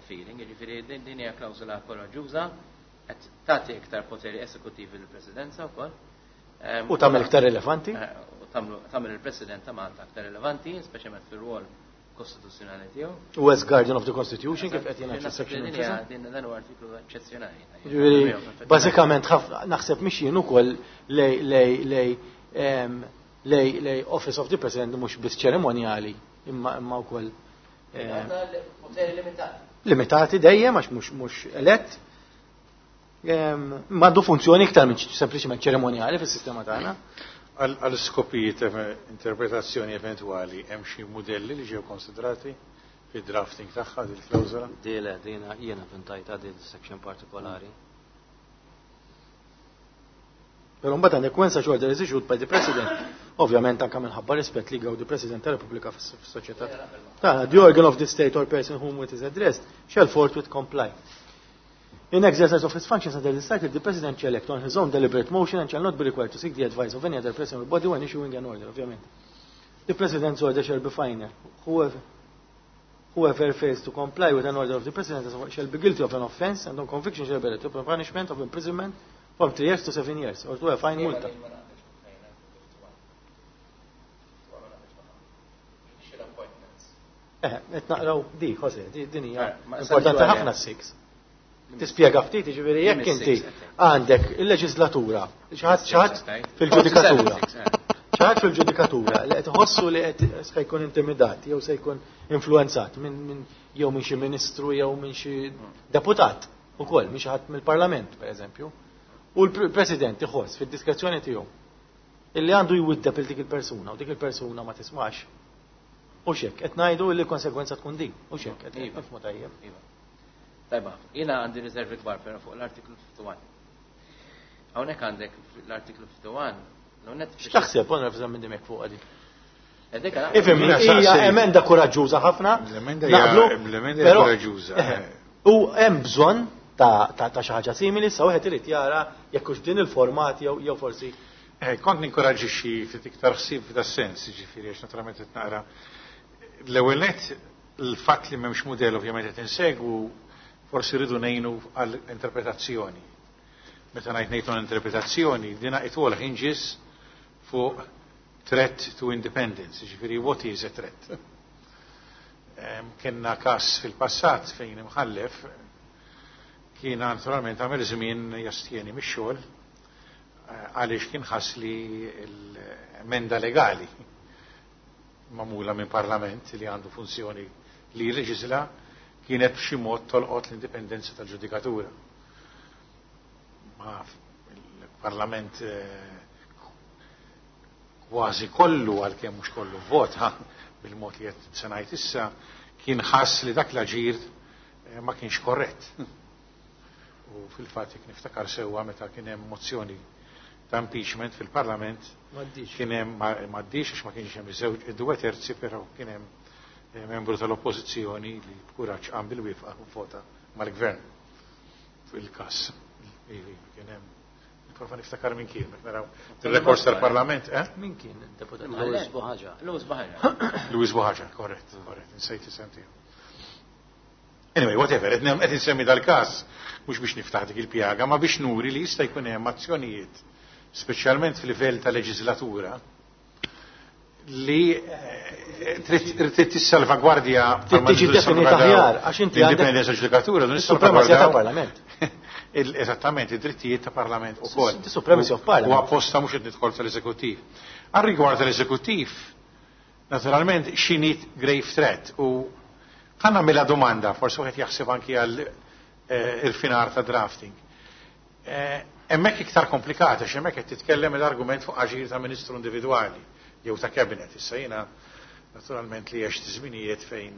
feeling, jiġifieri din hija klawżola koraġġuża qed tagħti iktar poteri esekutivi lill-Presidenza wkoll. U tagħmel iktar rilevanti? U tagħmel il-President ta' Malta aktar rilevanti, speċjalment fir-rwol kostituzzjonali tiegħu. U as Guardian of the Constitution kif qed jingħad fis-section nfisha. Din dan huwa artiklu eċċezzjonali. Jiġifieri, bażikament naħseb mixjin ukoll lej Office of the President mhux biss ċerimonjali imma wkoll, Poteri limitati. Limitati dejjem għax mhux elett. M'għandu funzjoni iktar minn sempliċement ċerimonjali fis-sistema tagħna. Għal skopijiet interpretazzjoni eventwali hemm xi mudelli li ġew konsidrati fid-drafting tagħha din il-klawżola? Dile, dina jiena vintajta din section partikolari. Però mbagħad għandek when such order is issued by the President, ovvjament anke minħabba rispett li gawdi President tal-Repubblika fis-soċjetà. Tagħna, the organ of the state or person whom it is addressed shall forthwith comply. In exercise of his functions under this title, the President shall act on his own deliberate motion and shall not be required to seek the advice of any other person or body when issuing an order, ovvjament. The President's order shall be final. Whoever fails to comply with an order of the President shall be guilty of an offense and on conviction shall be to punishment of imprisonment from 3 years to 7 years or to a fine multa. Qed naqraw di, Jose, din hija importanti ħafna s-six. Tispjega ftit, jiġifieri jekk inti għandek il-leġislatura, xi ħadd fil-ġudikatura. Xi ħadd fil-ġudikatura li qed iħossu li qed se jkun intimidat jew se jkun influenzat jew minn xi ministru jew minn xi deputat ukoll, minn xi ħadd mill-Parlament, pereżempju. U l-President iħoss fid-diskrezzjoni tiegħu illi għandu jwiddeb il dik il-persuna u dik il-persuna ma tismax. U xek, qed ngħidu li l-konsegwenza tkun din. U xek, qed nifhmu tajjeb. Tajba, jiena għandi riservi kbar però fuq l-artiklu 51. Hawnhekk għandek l-artiklu 51. X'taħseb onorevoli Zammit Dimech fuq għadi? Ifhem, hija emenda kuraġġuża ħafna. L-emenda hija kuraġġuża. U hemm bżonn ta' xi ħaġa simili, sa wieħed irid jara jekk hux din il-format jew forsi. Kont ninkoraġġixxi ftit iktar ħsieb f'das-sens, jiġifieri għax naturalment qed naqra l-ewwel nett il-fatt li m'hemmx mudell ovvjament qed insegwu forsi rridu ngħinu għal interpretazzjoni. Meta ngħid ngħidu interpretazzjoni, dina it all hinges fuq threat to independence, jiġifieri what is a threat? Kenna kas fil-passat fejn imħallef kien naturalment għamel żmien jastjeni mix-xogħol għaliex kien ħass li l-emenda legali magħmula minn parlament li għandu funzjoni li jilleġisla kienet b'xi mod tolqot l-indipendenza tal-ġudikatura. Ma il-parlament kważi kollu, għalkemm mhux kollu vota bil-mod li qed se ngħid issa, kien ħass li dak l-aġir ma kienx korrett. U fil-fatt jekk niftakar sewwa meta kien hemm mozzjoni ta' impeachment fil-Parlament kien hemm m'għaddix għax ma kienx hemm iż-żewġ due terzi, però kien hemm membru tal-Oppożizzjoni li b'kuraġġ qam bil-wifqa u vota mal-Gvern fil-każ. Kien hemm Prova niftakar min kien, meta naraw il-rekors tal-Parlament, eh? Min kien il-deputat? Louis Buhaġa. Louis Buhaġa. Louis Buhaġa, korrett, korrett, insejt isem tiegħu. Anyway, whatever, qed insemmi dal-każ mhux biex niftaħ dik il-pjaga, ma biex nuri li jista' jkun hemm azzjonijiet, speċjalment fil-livell ta' leġislatura, li trid tissalvagwardja Trid tiġi definita aħjar, għax inti għandek l-indipendenza ġudikatura, is-supremazija tal-Parlament. Eżattament, id-drittijiet ta' Parlament ukoll. The supremacy of Parliament. U apposta mhux qed nidħol tal-eżekuttiv. Għal rigward tal-eżekuttiv, naturalment x'inhi grave threat u ħa nagħmilha domanda, forsi wieħed jaħseb anki għal irfinar ta' drafting. Hemmhekk iktar komplikata, għax hemmhekk qed titkellem l-argument fuq aġir ta' ministru individwali jew ta' cabinet. Issa jiena naturalment li għext żminijiet fejn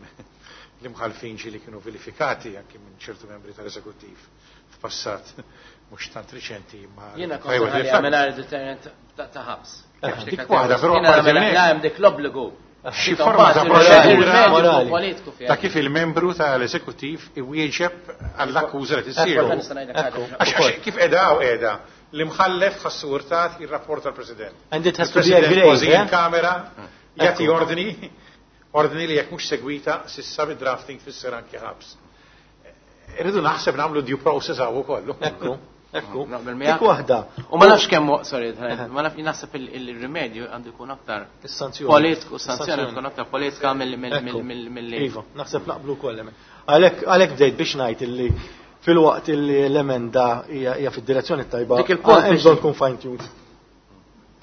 l-imħalfin ġieli kienu vilifikati anki minn ċertu membri tal-eżekuttiv f'passat mhux tant riċenti ma. Jiena kont mingħajr deterrent ta' ħabs. Dik waħda, però apparti minn hekk. Hemm dik l-obbligu. Xi forma ta' proċedura ta' kif il-membru tal-eżekuttiv iwieġeb għall-akkuża li tissir. Għax kif qiegħda hawn qiegħda l-imħallef ħassu urtat jirrapporta l-President. And it has to be a grave. Kważi in kamera jagħti ordni ordni li jekk mhux segwita s'issa bid-drafting tfisser anki ħabs. Irridu naħseb nagħmlu due process hawn ukoll. Ekku, ekku. Dik waħda. U ma nafx kemm, sorry, ma nafx naħseb il-rimedju għandu jkun aktar Is-sanzjoni. Politiku, sanzjoni tkun aktar politika mill-li. Iva, naħseb naqblu wkoll hemm. Għalhekk bdejt biex ngħid illi fil-waqt illi l-emenda hija fid-direzzjoni tajba. Dik il-punt hemm bżonn tkun fine tuned.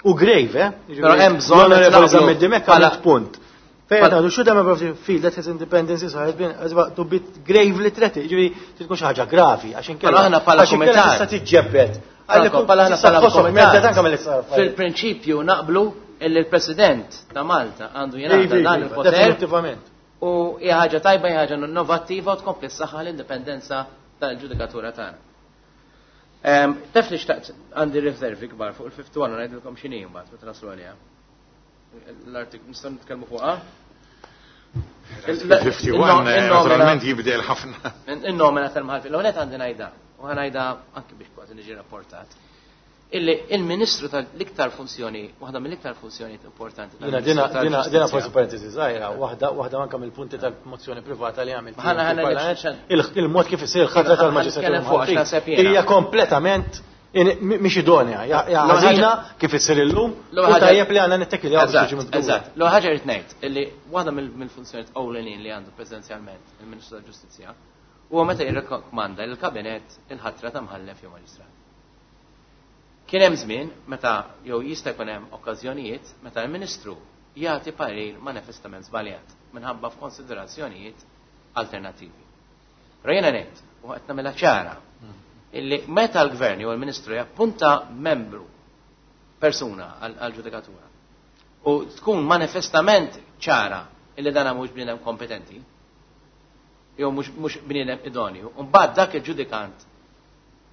U grave, eh? Però hemm bżonn L-Onorevoli Zammit Dimech għamlet punt. Fejn għadu should a member of the feel that his independence is has been has to be gravely threatened. Ġifieri tkun xi ħaġa gravi għax inkella. Aħna bħala kumitat. Tista' tiġġebbed. Bħala aħna bħala kumitat. Fil-prinċipju naqblu illi l-President ta' Malta għandu jingħata dan il-poter. Definitivament. U hija ħaġa tajba, hija ħaġa innovattiva u tkompli s-saħħa l-indipendenza tal-ġudikatura tagħna. Taf li xtaqt għandi riservi kbar fuq il-51 u ngħidilkom x'inhi mbagħad meta naslu għaliha. L-artiklu nistgħu nitkellmu fuqha. Il-51 naturalment jibdel ħafna. In-nomina tal-mħalfin. L-ewwel għandi ngħidha u ħa ngħidha anke biex kważi niġi rapportat. Illi il-Ministru tal-iktar funzjoni, waħda mill-iktar funzjoni importanti. Dina dina forsi parentesi żgħira, waħda waħda anke mill-punti tal-mozzjoni privata li għamilt. Il-mod kif isir il-ħatra tal-maġistratura hija kompletament mhix idonea, ħażina kif issir illum, u tajjeb li għandna nittekiljaw biex tiġi mibdula. Eżatt, l ħaġa rrid ngħid illi waħda mill-funzjonijiet ewlenin li għandu presidenzjalment il-Ministru tal-Ġustizzja huwa meta jirrakkomanda lill-Kabinett il-ħatra ta' mħallef jew maġistrat. Kien hemm żmien meta jew jista' jkun hemm okkażjonijiet meta l-Ministru jagħti parir manifestament żbaljat minħabba f'konsiderazzjonijiet alternattivi. Però jiena ngħid u qed nagħmilha ċara illi meta l-Gvern jew il-Ministru jappunta membru persuna għal-ġudikatura u tkun manifestament ċara illi dan mhux bniedem kompetenti, jew mhux bniedem idonju, u mbagħad dak il-ġudikant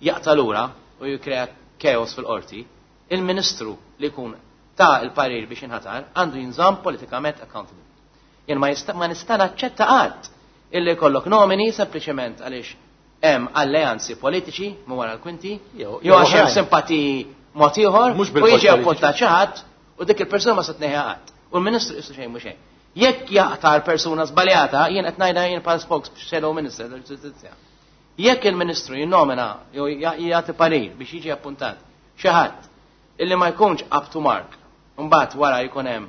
jaqta' lura u jikkrea chaos fil-qorti, il-Ministru li jkun ta l-parir biex jinħatar għandu jinżamm politikament accountable. Jien ma jista' ma nista' naċċetta qatt illi jkollok nomini sempliċement għaliex hemm alleanzi politiċi minn wara l-kwinti jew għax hemm simpatiji mod ieħor u jiġi appuntat xi ħadd u dik il-persuna ma se tneħħiha qatt. U l-Ministru qisu xejn mhu xejn. Jekk jaqtar persuna żbaljata, jien qed ngħidha jien bħal spokes shadow minister tal-ġustizzja. Jekk il-Ministru jinnomina jew jagħti parir biex jiġi appuntat xi ħadd illi ma jkunx up to mark, mbagħad wara jkun hemm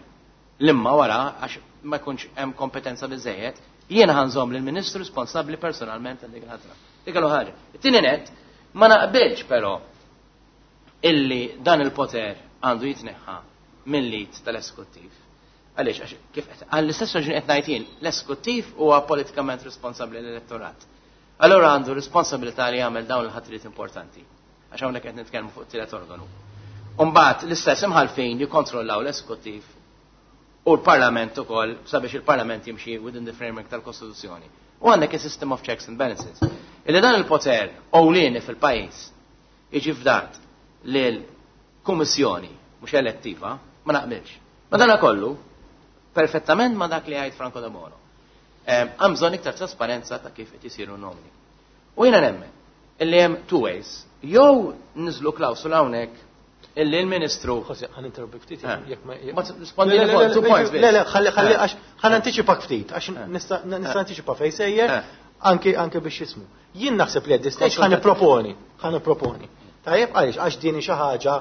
l-imma wara għax ma jkunx hemm kompetenza biżejjed, jiena ħanżomm lill-Ministru responsabbli personalment għal dik il-ħatra. Dik ħaġa. It-tieni net, ma naqbilx però illi dan il-poter għandu jitneħħa mill-lid tal-eskuttiv. Għaliex, għax kif għall-istess raġuni qed ngħid jien, l-eskuttiv huwa politikament responsabbli l-elettorat. Allura għandu responsabilità li jagħmel dawn il-ħatriet importanti. Għax hawnhekk qed nitkellmu fuq tielet organu. Umbagħad l-istess imħalfin jikkontrollaw l-eskuttiv u l-Parlament ukoll sabiex il-Parlament jimxi within the framework tal-Kostituzzjoni. U għandek il-system of checks and balances. Illi dan il-poter ewlieni fil-pajjiż jiġi fdat lil kummissjoni mhux elettiva, ma naqbilx. Ma dana kollu, perfettament ma dak li għajt Franco de Bono. Hemm bżonn iktar trasparenza ta' kif qed isiru nomini. U jiena nemmen illi hemm two ways. Jew niżlu klawsula hawnhekk illi l-Ministru. Jose, ħa ninterrompik ftit, jekk ma. Ma rispondi two points. Le, le, ħalli ħalli għax ħa nantiċipak ftit, għax nista' nantiċipa fejn sejjer anke anke biex jismu. Jien naħseb li at this stage ħa nipproponi, ħa nipproponi. Tajjeb għaliex għax din xi ħaġa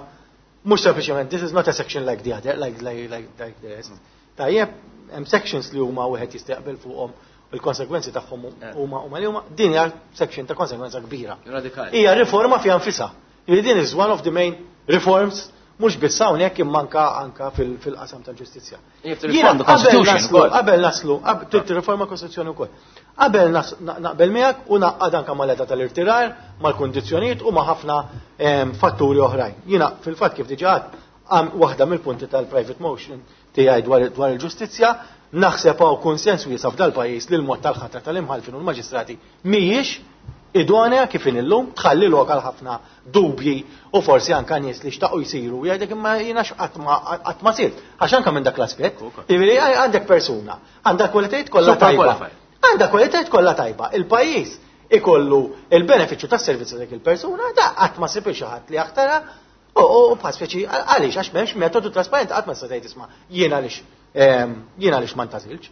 mhux sempliċement this is not a section like the other, like the rest. Tajjeb, hemm sections li huma wieħed jista' jaqbel fuqhom u l-konsegwenzi tagħhom huma li huma din hija section ta' konsegwenza kbira. Radikali. Hija riforma fiha nfisha. Li din is one of the main reforms mhux biss hawnhekk imma anka anka fil-qasam tal-ġustizzja. Qabel naslu, riforma kostituzzjoni wkoll. Qabel naqbel miegħek u naqgħad anka mal-età tal-irtirar, mal-kundizzjonijiet u ma' ħafna fatturi oħrajn. Jiena fil-fatt kif diġà waħda mill-punti tal-private motion tiegħi dwar il-ġustizzja, naħseb hawn konsens wiesa' f'dal-pajjiż li l-mod tal-ħatra tal-imħallfin u l-maġistrati mhijiex idonea kif illum tħalli lok għal ħafna dubji u forsi anka nies li xtaqu jsiru jgħidek imma jiena qatt ma sirt. Għax anka minn dak l-aspett, jiġifieri għandek persuna, għandha kwalitajiet kollha tajba. Għandha kwalitajiet kollha tajba. Il-pajjiż ikollu il-benefiċċju tas-servizz dik il-persuna, da qatt ma sib xi ħadd li jaħtara u bħal speċi għaliex għax m'hemmx metodu trasparenti qatt ma tista' tgħid isma' jien għaliex ma ntażilx.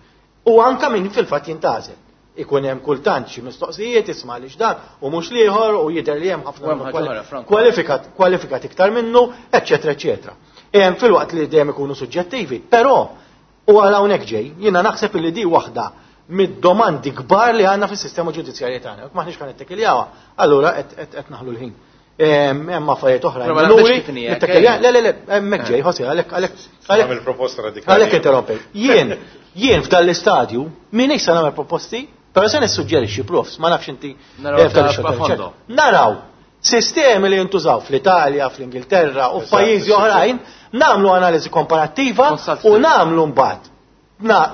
U anka min fil-fatt jintażel. Ikun hemm kultant xi mistoqsijiet isma' għaliex dan u mhux l-ieħor u jidher li hemm ħafna kwalifikat kwalifikat iktar minnu, eċċetera, eċċetera. Filwaqt li dejjem ikunu suġġettivi, però u għal hawnhekk ġej, jiena naħseb li di waħda mid-domandi kbar li għandna fis-sistema ġudizzjarja tagħna. Jekk m'aħniex kan nittekiljawha, allura qed naħlu l-ħin. Hemm affarijiet oħra. Le, le, le, hemmhekk ġej, Jose, għalhekk għalhekk għalhekk proposta radikali. Għalhekk interrompej. Jien f'dan l-istadju minix se nagħmel proposti, però se nissuġġerixxi profs, ma nafx inti. Naraw sistemi li jintużaw fl-Italja, fl-Ingilterra u f'pajjiżi oħrajn, nagħmlu analiżi komparattiva u nagħmlu mbagħad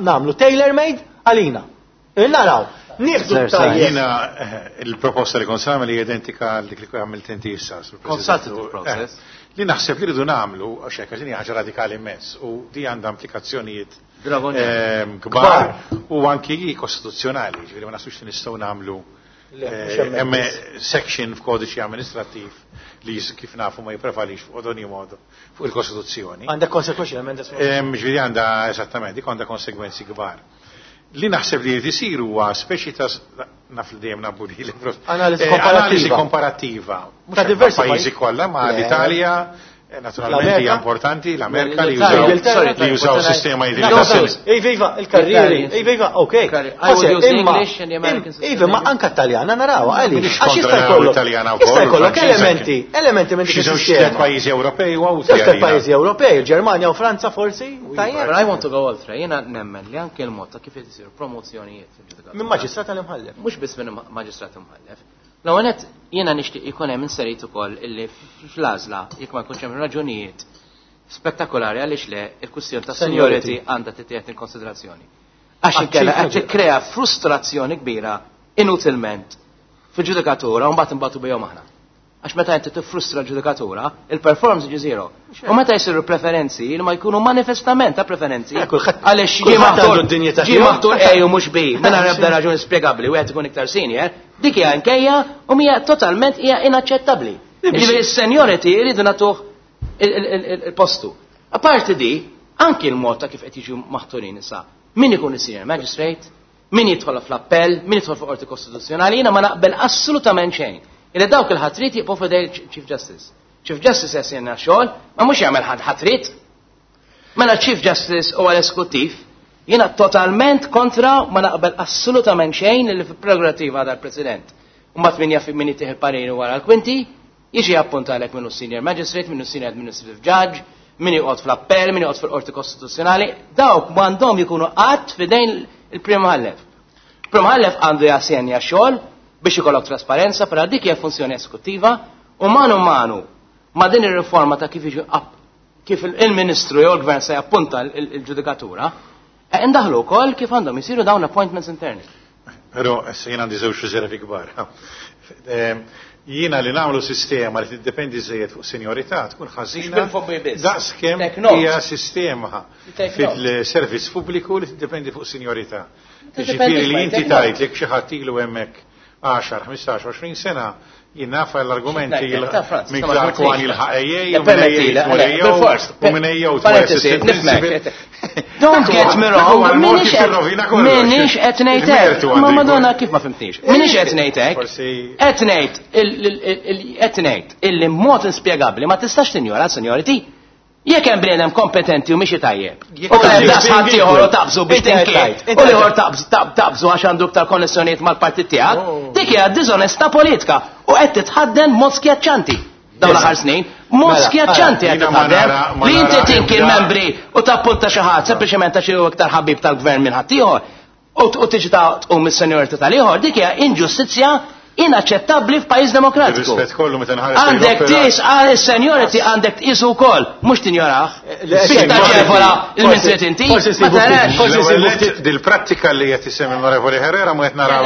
nagħmlu tailor-made għalina. Naraw, nieħdu tajjeb. Jiena il-proposta li kont nagħmel hija identika għal dik li għamilt inti issa. Consultative process. Li naħseb li rridu nagħmlu, għax hekk għax ħaġa radikali immens u di għandha implikazzjonijiet kbar u anki kostituzzjonali, ġifieri ma naħsibx li nistgħu nagħmlu hemm section f'kodiċi amministrattiv li kif nafu ma jipprevalix fuq ogni modo fuq il-Kostituzzjoni. Għandha konsegwenzi emenda. Ġifieri għandha eżattament, dik għandha konsegwenzi kbar. Li naħseb li jrid isir huwa speċi ta' naf li dejjem nabbu li Analiżi komparattiva. Ta' diversi pajjiżi kollha ma' l-Italja, naturalment hija importanti, l-Amerika li jużaw sistema Iva, iva, il-karrieri, iva, iva, ok. Iva, ma anka Taljana naraw, għaliex. Għax jista' jkollok jista' jkollok elementi minn dik is-sistema. Pajjiżi Ewropej u Żewġ pajjiżi Ewropej, il-Ġermanja u Franza forsi. But I want to go oltre, jiena nemmen li anke l-mod ta' kif isiru promozzjonijiet fil-ġudikatura. Minn maġistrat tal-imħallef. Mhux biss minn maġistrat imħallef. L-ewwel jiena nixtieq ikun hemm inserit ukoll illi fl-għażla jekk ma jkunx hemm raġunijiet spettakolari għaliex le il-kwistjoni ta' seniority għandha tittieħed in konsiderazzjoni. Għax inkella qed tikkrea frustrazzjoni kbira. inutilment fil-ġudikatura u mbagħad imbagħtu bihom aħna. Għax meta inti tiffrustra l-ġudikatura, il-performance jiġi zero. U meta jsiru preferenzi li ma jkunu manifestament ta' preferenzi. Għaliex ġie maħtur ġie maħtur A u mhux B, mingħajr ebda raġuni spjegabbli wieħed ikun iktar senior, dik hija nkejja u mija totalment hija inaċċettabbli. Jiġifieri s-seniority jridu nagħtuh il-postu. Apparti di, anki l-mod ta' kif qed jiġu maħturin issa. Min ikun is-senior magistrate, min jidħol fl-appell, min jidħol fuq qorti kostituzzjonali, jiena ma naqbel assolutament xejn. Illi dawk il-ħatrit jibqgħu f'idej Chief Justice. Chief Justice jassenja xogħol, ma mhux jagħmel ħatrit. Mela Chief Justice u għal-eskuttiv, jiena totalment kontra ma naqbel assolutament xejn li fil-prerogativa dal-President. U mbagħad min jaf min jittieħ il-pariri wara l-kwinti, jiġi appuntalek minnu senior magistrate, minnu senior administrative judge, min joqgħod fl-appell, min joqgħod fil-qorti kostituzzjonali, dawk m'għandhom jkunu qatt f'idejn il-Prim Mħallef. Prim Mħallef għandu jassenja xogħol biex ikollok trasparenza, però dik hija funzjoni eskuttiva u manu manu ma din ir-riforma ta' kif jiġu kif il-Ministru jew il-Gvern se jappunta l-ġudikatura, indaħlu wkoll kif għandhom isiru dawn appointments interni. Però issa jien għandi żewġ riservi kbar. Jiena li nagħmlu sistema li tiddependi żejjed fuq senjorità tkun ħażina daqskemm hija sistema fil-servizz pubbliku li tiddependi fuq senjorità. Ġifieri li inti tajt jekk xi ħadd ilu hemmhekk 10, 15, 20 sena jien naf l-argumenti minn Clark One jilħaq AA u minn AA tmur AO u minn AO tmur. Don't get me wrong, minix qed ngħid hekk. Ma Madonna kif ma fimtnix. Minix qed ngħid hekk. Qed ngħid qed ngħid illi mod inspjegabbli ma tistax tinjora seniority. Jekk hemm bniedem kompetenti u mixi tajjeb. U hemm daqs ħadd ieħor u taqbżu biex tinkiet. U ieħor taqbżu għax għandu iktar konnessjonijiet mal-partit tiegħek, dik hija diżonestà politika u qed titħadden mod skjaċċanti dawn l-aħħar snin. Mod skjaċċanti qed titħaddem li inti tinki l-membri u tappunta xi ħadd sempliċement għax hu iktar ħabib tal-gvern minn ħaddieħor u tiġi ta' tqum is-seniority tal-ieħor, dik hija inġustizzja inaċċettabbli f'pajjiż demokratiku. Għandek tis għal is-seniority għandek tqisu wkoll, mhux tinjorah. Biex taġevola il-min inti. Forsi dil-prattika li qed isemmi l-Onorevoli Herrera mu qed naraw.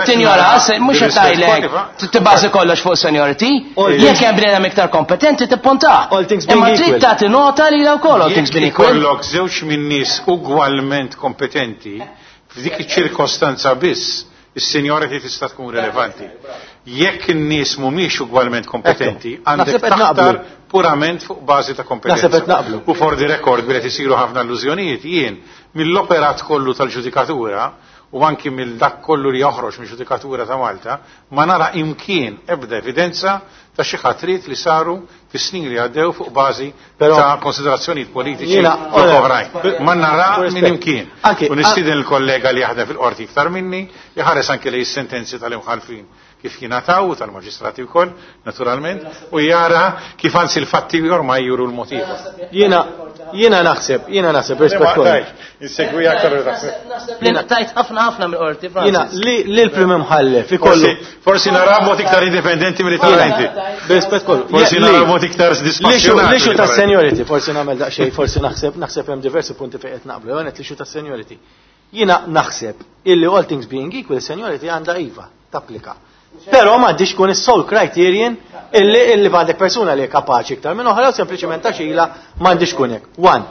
Tinjora, mhux qed tgħidlek tibbażi kollox fuq seniority, jekk hemm bniedem iktar kompetenti tippuntah. Imma trid tagħti nota li wkoll all things being equal. Kollok żewġ minn nies ugwalment kompetenti f'dik iċ-ċirkostanza biss is-seniority tista' tkun rilevanti. Jekk in-nies mhumiex ugwalment kompetenti, għandek taħtar purament fuq bażi ta' kompetenza. U for the record billi isiru ħafna allużjonijiet jien mill-operat kollu tal-ġudikatura u anki mill dak kollu li joħroġ mill-ġudikatura ta' Malta, ma nara imkien ebda evidenza ta' xi ħatrit li saru fis-snin li għaddew fuq bażi ta' konsiderazzjonijiet politiċi u oħrajn. Ma nara minn imkien. U nistieden il-kollega li jaħdem fil-qorti iktar minni, jħares anke li s-sentenzi tal-imħalfin kif jingħataw tal-maġistrati wkoll, naturalment, u jara kif anzi l-fatti ormai juru l-motiv. Jiena naħseb, jiena naħseb rispett kollu. Insegwi aktar naħseb. Jiena tajt ħafna ħafna mill-qorti, Jiena li l-prim imħallef ikollu. Forsi nara mod iktar indipendenti milli tara inti. Rispett kollu. Forsi nara mod iktar dispassjonat. L-issue ta' seniority, forsi nagħmel daqsxejn, forsi naħseb naħseb hemm diversi punti fejn qed naqblu, jew l-issue ta' seniority. Jiena naħseb illi all things being equal, seniority għandha iva, tapplika. Però m'għandix kun is-sole criterion illi illi għandek persuna li kapaċi iktar minn oħra sempliċement għax ilha m'għandix kun hekk. One,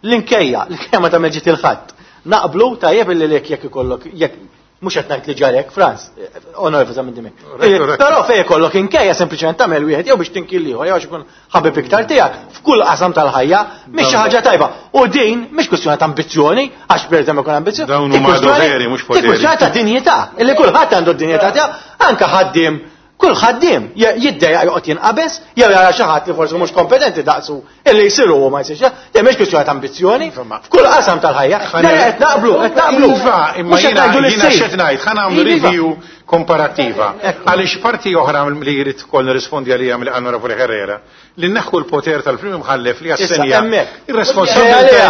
l-inkejja, l-inkejja ma tagħmel ġid il-ħadd. Naqblu tajjeb illi lek jekk ikollok jekk mhux qed ngħid li ġarek, Franz, onorevoli minn dimek. Però fejn ikollok inkejja sempliċement tagħmel wieħed jew biex tinki l-ieħor jew għax ikun ħabib iktar tiegħek f'kull qasam tal-ħajja mhix xi ħaġa tajba. U din mhix kwestjoni ta' ambizzjoni, għax bniedem ikun ambizzjoni. Dawn huma doveri mhux poteri. Kwestjoni ta' dinjità, illi kulħadd għandu d-dinjità tiegħu, anke ħaddiem kull ħaddiem jiddejjaq joqgħod jinqabeż jew jara xi ħadd li forsi mhux kompetenti daqsu illi jsiru u ma jsirx. Dejjem mhix kwestjoni ta' ambizzjoni f'kull qasam tal-ħajja. Qed naqblu, qed naqblu. Iva, imma jiena jiena x'qed ngħid, ħa nagħmlu review komparattiva. Għaliex parti oħra li jrid ukoll nirrispondi għalija mill-Onorevoli Herrera, li neħħu l-poter tal-prim imħallef li jassenja ir-responsabilità.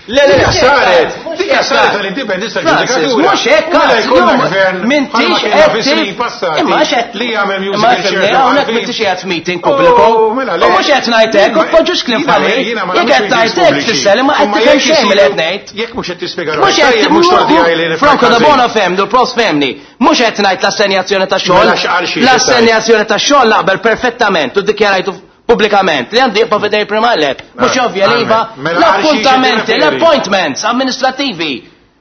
Le, le, saret. Dik saret tal-indipendenza tal-ġudikatura. Mhux hekk, Mela jkollna gvern m'intix bħalma kellna qed fi snin passati Imma x'qed li jagħmel Imma musical fimni, chair hawnhekk tal-Maltin. m'intix qiegħed f'meeting pubbliku. Oh, mela, le. U mhux qed ngħid hekk, u tpoġġux kliem Jiena- f'għalik. jiena ma Jekk nagħmlux qed meetings tgħid hekk pubbliċi. tfisser li ma qed Imma tifhem jekk xejn milli isiru- qed ngħid. Jekk mhux qed tispjega Mhux qed tajjeb, mhux tort tiegħi li nifhem Franco da ħażin. Bono femni, u l-profs femni. Mhux qed ngħid l-assenjazzjoni ta' xogħol. Mela x'qal xi L-assenjazzjoni ta' xogħol naqbel perfettament u ddikjarajtu pubblikament li għandu jibqa' fidej Prim-Imħallef. Mhux ovvja li iva Mela għal xi l-appuntamenti, tirreferi? l-appointments amministrativi.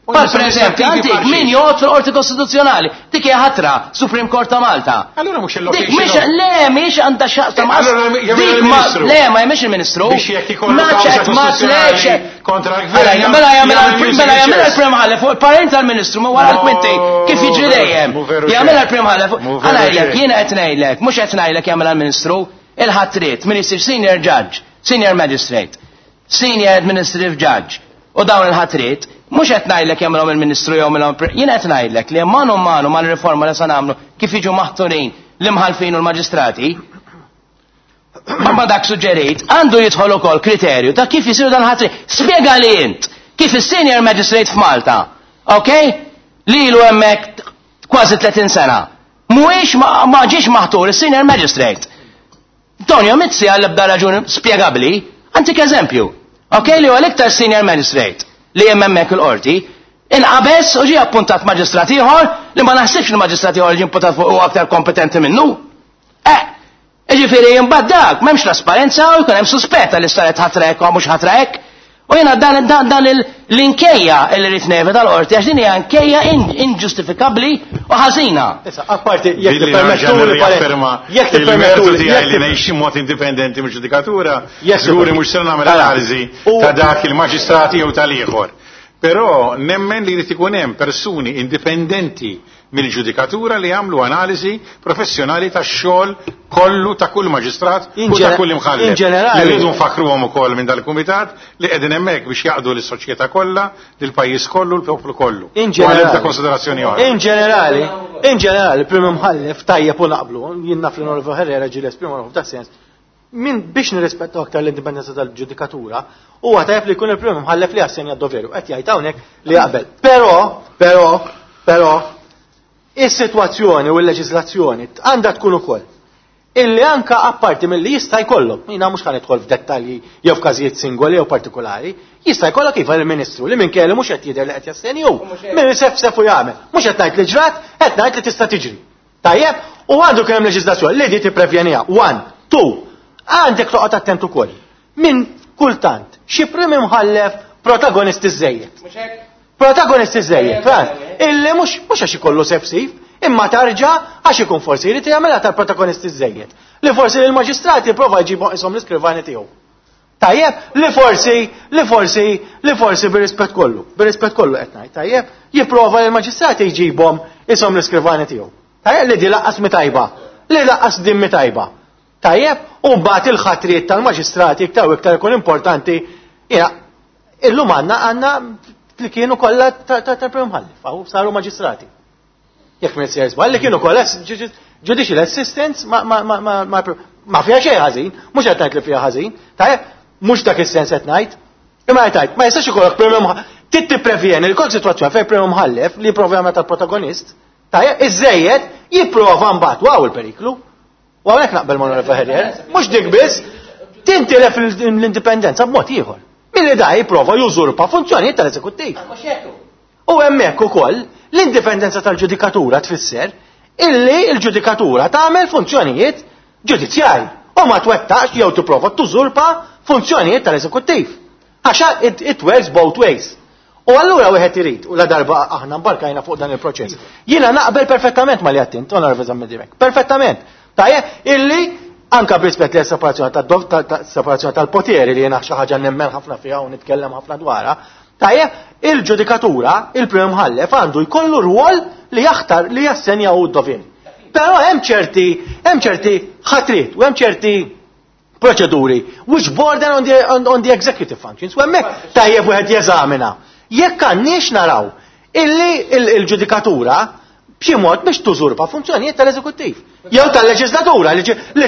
Pal per eżempju, amministrativi għandik bħal xi? min joqgħod fil-Qorti Kostituzzjonali, dik hija ħatra Supreme Court ta' Malta. Allura mhux Dik il-location. mhix le mhix għandha x'taqsam Eh, allura jagħmel dik ma il-Ministru. le ma jagħmilx il-Ministru. Biex jekk ikollu Ma kawża ċet, ma kostituzzjonali tlex. kontra l-gvern, Mela mela jagħmel jagħmel mela jagħmel musical il-Prim Imħallef fuq il-parent tal-Ministru ma wara No, l-kwinti kif jiġri dejjem. mhu veru Jagħmel xejn. il-Prim Imħallef. Mhu veru Għala jgħidlek xejn. jiena qed ngħidlek, mhux qed ngħidlek jagħmel il-Ministru, il-ħatriet min isir senior judge, senior magistrate, senior administrative judge. U dawn il-ħatriet, mhux qed ngħidlek jagħmilhom il-Ministru jew jagħmilhom jien qed ngħidlek li manu manu mal-riforma li se nagħmlu kif jiġu maħturin l-imħalfin u l-maġistrati, ma dak suġġerit, għandu jidħol ukoll kriterju ta' kif jisiru dan ħatri. Spjega li int kif is-senior magistrate f'Malta, ok? Li ilu hemmhekk kważi 30 sena. Mhuwiex ma ma ġiex maħtur is-senior magistrate. Tonio Mizzi għal ebda raġuni spjegabbli, għantik eżempju. Ok, li huwa l-iktar senior magistrate li hemm hemmhekk il-qorti, inqabeż u ġie appuntat maġistrat ieħor li ma naħsibx li maġistrat ieħor ġie impuntat fuq huwa aktar kompetenti minnu. Eh, Ġifieri imbagħad dak m'hemmx trasparenza u jkun hemm suspett li saret ħatra hekk u mhux ħatra hekk. U jiena dan dan dan l-inkejja li rrid neve tal-qorti għax din hija inkejja inġustifikabbli u ħażina. Issa, apparti, jekk Billi nerġa' tippermettuli, nirriafferma jekk il-mertu tippermettuli, tiegħi jekk li ngħix mod indipendenti mill-ġudikatura, Jekk żguri tipper- mhux se nagħmel Mela, analiżi ta' dak il-maġistrati jew tal-ieħor. Però nemmen li jrid ikun hemm persuni indipendenti mill-ġudikatura li jagħmlu analiżi professjonali tax-xogħol kollu ta' kull maġistrat In u ta' ġene- kull imħallef. in ġenerali- Li rridu nfakruhom ukoll minn dal-kumitat li qegħdin hemmhekk biex jaqdu lis-soċjetà kollha, lill-pajjiż kollu, l-poplu kollu. In U għal ġenerali. ebda konsiderazzjoni oħra. In ġenerali, in ġenerali, prim imħallef tajjeb u naqblu, jien naf li Norvo Herrera ġieli esprima ruħu f'dak sens. Min biex nirrispettaw aktar l-indipendenza tal-ġudikatura, huwa tajjeb li jkun il-prim imħallef li jassenja d-doveru, qed jgħid hawnhekk li jaqbel. Però, però, però, is-sitwazzjoni u l-leġiżlazzjoni għandha tkun ukoll illi anka apparti mill-li jista' jkollok, jiena mhux ħa nidħol f'dettalji jew f'każijiet singoli jew partikolari, jista' jkollok iva il-Ministru li minn kellu mhux qed jidher li qed jassenju, min sef sef u jagħmel. Mhux qed ngħid li ġrat, qed ngħid li tista' tiġri. Tajjeb, u għandu kemm hemm leġiżlazzjoni li di tipprevjeniha. One, two, għandek toqgħod attent ukoll. Min kultant xi prim imħallef protagonisti żejjed. Protagonisti żejjed, fran, illi mhux mhux għax ikollu sefsif, imma tarġa għax ikun forsi jrid jagħmilha tal-protagonisti żejjed. Li forsi l-maġistrati jipprova jġibu ishom l-iskrivani tiegħu. Tajjeb, li forsi, li forsi, li forsi bir-rispett kollu, bir-rispett kollu qed ngħid, tajjeb, jipprova li l-maġistrati jġibhom ishom l-iskrivani tiegħu. Tajjeb li di laqqas mi tajba, li laqqas din mi tajba. Tajjeb, u mbagħad il-ħatriet tal-maġistrati iktar u iktar ikun importanti, jiena illum għandna għandna li kienu kollha tal-Prim Imħallef, hawn saru maġistrati. Jekk minn sejjer żball li kienu kollha judicial assistants ma ma ma ma ma ma fiha xejn ħażin, mhux qed ngħid li fiha ħażin, tajjeb, mhux dak is-sens qed ngħid. Imma qed ngħid, ma jistax ikollok prim imħallef, trid tipprevjeni li kollok sitwazzjoni fejn prim imħallef li jipprova jagħmel tal-protagonist, tajjeb, iżejjed jipprova mbagħad waw il-periklu. U hawnhekk naqbel ma' Onorevoli Herrier, mhux dik biss, tintilef l-indipendenza b'mod ieħor. Milli da jipprova jużurpa funzjonijiet tal-eżekuttiv. U hemmhekk ukoll l-indipendenza tal-ġudikatura tfisser illi l-ġudikatura tagħmel funzjonijiet ġudizzjarji u ma twettax jew tipprova tużurpa funzjonijiet tal-eżekuttiv. Għaxa it works both ways. U allura wieħed irid, u la darba aħna mbarkajna fuq dan il-proċess. Jiena naqbel perfettament ma li għattint, Onorevoli Zammit Dimech, perfettament. Tajjeb, illi anka b'rispett li separazzjoni separazzjoni tal-poteri li jiena xi ħaġa nemmen ħafna fiha u nitkellem ħafna dwarha, tajjeb, il-ġudikatura, il-prim imħallef għandu jkollu rwol li jaħtar li jassenja u d-dovin. Però hemm ċerti, hemm ċerti ħatriet u hemm ċerti proċeduri which border on the executive functions. U hemmhekk tajjeb wieħed jeżamina. Jekk għandniex naraw illi il-ġudikatura b'xi mod biex tużurpa funzjonijiet tal-eżekuttiv. Jew tal-leġislatura li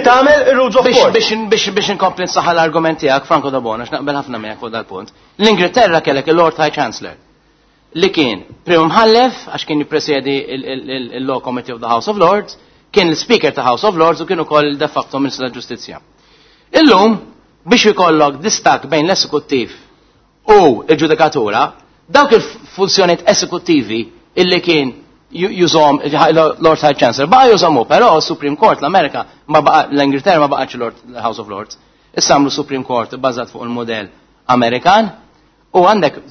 tagħmel ir-rules of Biex court. biex inkompli nsaħħa l-argument tiegħek Franco Dabona, x'naqbel ħafna miegħek fuq dal-punt. L-Ingilterra kellek il-Lord High Chancellor. li kien prim mħallef għax kien jippresjedi il-Law Committee of the House of Lords, kien l-Speaker ta' House of Lords u kien ukoll de facto Ministru tal-Ġustizzja. Illum biex ikollok distak bejn l-esekuttiv u l-ġudikatura, dawk il-funzjonijiet esekuttivi illi kien jużom Lord High Chancellor, baqa jużomu, però Supreme Court l-Amerika ma baqa l-Ingilterra ma baqax Lord House of Lords. Issa għamlu Supreme Court bbażat fuq il-modell Amerikan u għandek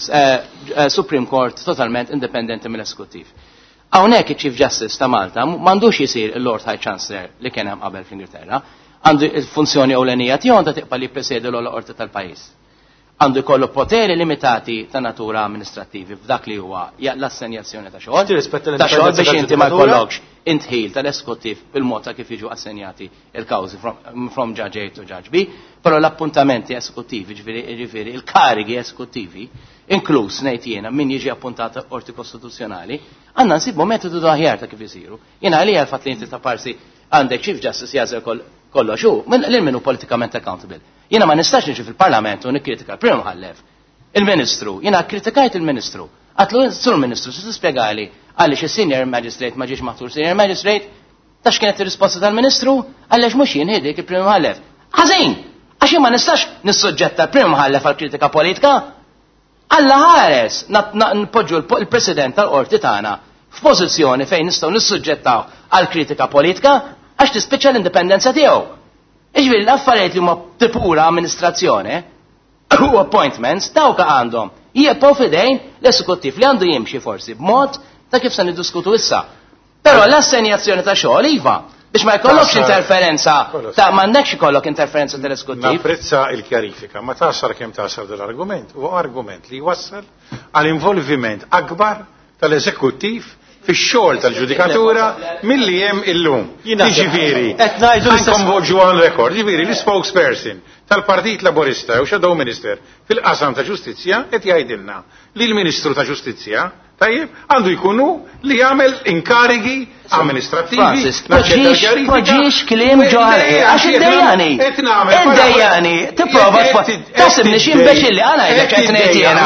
Supreme Court totalment indipendenti mill-esekuttiv. Hawnhekk iċ-Chief Justice ta' Malta m'għandux jisir il-Lord High Chancellor li kien hemm qabel fl-Ingilterra, għandu il-funzjoni ewlenija tiegħu għandha tibqa' li jippresjedi l-ogħla qorti tal-pajjiż. Għandu jkollu poteri limitati ta' natura amministrativi f'dak li huwa l-assenjazzjoni ta' xogħol. Tirrispetta Ta' xogħol l-indipendenza biex inti ma tal-ġudikatura? jkollokx intħil tal-eskuttiv bil-mod ta' kif jiġu assenjati il-kawżi from Judge A to Judge B, però l-appuntamenti esekuttivi, ġifieri il-karigi esekuttivi, inkluż ngħid jiena min jiġi appuntat qorti kostituzzjonali, għandna nsibu metodu aħjar ta' kif isiru. Jiena għalija l-fatt li inti ta' parsi għandek Chief Justice jażel kollox hu, lil min hu politikament accountable. Jiena ma nistax niġi fil-Parlament u nikkritika l-Prim Mħallef, il-Ministru, jiena kritikajt il-Ministru. Għatlu, Sur Ministru, se tispjegali għaliex il-Senior Magistrate ma ġiex maħtur Senior Magistrate, ta' x'kienet ir-risposta tal-Ministru, għaliex mhux jien ħidik il-Prim Mħallef. Ħażin! Għax jien ma nistax nissuġġetta l-Prim Mħallef għal kritika politika. Alla ħares npoġġu l-President tal-Qorti tagħna f'pożizzjoni fejn nistgħu nissuġġettaw għal kritika politika għax tispiċċa l-indipendenza tiegħu. Iġifieri l-affarijiet li huma pura amministrazzjoni u appointments dawk għandhom jibqgħu f'idejn l-esekuttiv li għandu jimxi forsi b'mod ta' kif se niddiskutu issa. Però l-assenjazzjoni ta' xogħol iva biex ma jkollokx interferenza ta' m'għandekx ikollok interferenza tal-esekuttiv. Napprezza il-kjarifika, ma tasar kemm tasar dal-argument, huwa argument li jwassal għal involviment akbar tal-eżekuttiv fix-xogħol tal-ġudikatura milli hemm illum. Jiena Jiġifieri, qed ngħidu l-istess nkonvolġu on record, jiġifieri l-spokesperson tal-Partit Laburista u Shadow Minister fil-qasam ta' ġustizzja qed jgħidilna li l-Ministru ta' Ġustizzja tajjeb għandu jkunu li jagħmel inkarigi amministrativi. Francis, naċċetta l-kjarifika. poġġiex kliem Le, ġo ħalqi, le, għax iddejjani. qed nagħmel Iddejjani, tipprova tasibni xi imbeċilli, għala ngħidlek qed ngħid jiena.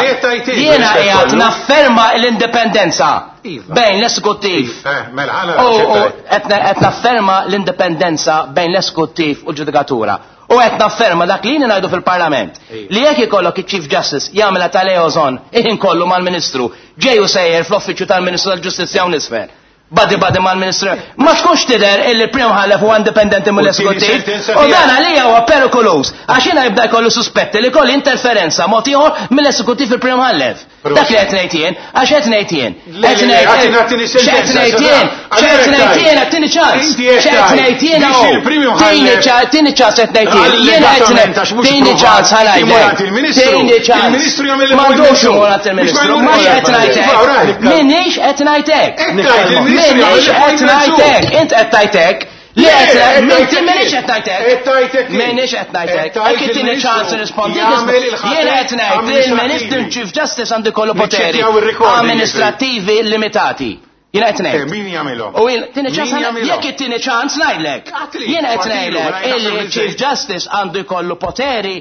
Jiena qiegħed nafferma l-indipendenza bejn l-esekuttiv. Mela, għala U naċċettaj. qed nafferma l-indipendenza bejn l-esekuttiv u l-ġudikatura. U qed nafferma dak li ngħidu fil-Parlament. Li jekk ikollok iċ-Chief Justice jagħmilha ta' liaison iħin kollu mal-Ministru, ġej u sejjer fl-uffiċċju tal-Ministru tal-Ġustizzja u nisfel. Badi badi mal-Ministru. Ma tkunx tidher illi l-Prim Mħallef huwa indipendenti mill-esekuttiv. U tieni sentenza U dan tiegħek. għalija huwa perikoluż. Għax jiena jibda jkollu suspetti li kolli interferenza mod ieħor mill-esekuttiv il-Prim Mħallef. Dak li qed ngħid jien, għax qed ngħid jien. Le, Qed le, le, ngħid għatini, għatini x'qed sentenza, ngħid jien, sa- x'qed għalhekk ngħid tajt. jien, għattini ċans. Inti qed X'qed tajt. ngħid jien Biex hawn. il-Prim Tini Mħallef tini ċans qed ngħid jien. Jien qed Allegatament, għax mhux tini provat, ċans ħa ngħidlek. imur għand il-Ministru. Tini ċans. Il-Ministru jagħmel M'għandux il-appointment. imur għand il-Ministru. Biex ma Ma jmurx x'qed għand ngħidlek. il-Ministru. Right. Minix qed ngħidlek. Qed tgħid il-Ministru jagħmel Minix qed l-appointment su. ngħidlek. Int qed tgħidlek. Li Le, qed qed minti ngħidlek minix jien. qed ngħidlek. Qed tgħidlek jien. Minix qed ngħidlek. Qed tgħid Jekk ittini il-Ministru ċans nirrispondi. jagħmel il-ħatriet Jien qed ngħid li l-Ministru amministrativi. Chief Justice għandu jkollu poteri Niċċekkjaw ir-recording, amministrativi limitati. Jien qed ngħid. Min jagħmilhom? U jien tieni ċans Min ħana- jagħmilhom? jekk it-tieni ċans ngħidlek. Għatli, Jien qed għatilu, ngħidlek mela jgħid illi għatlu Chief bil-żejt. Justice għandu jkollu poteri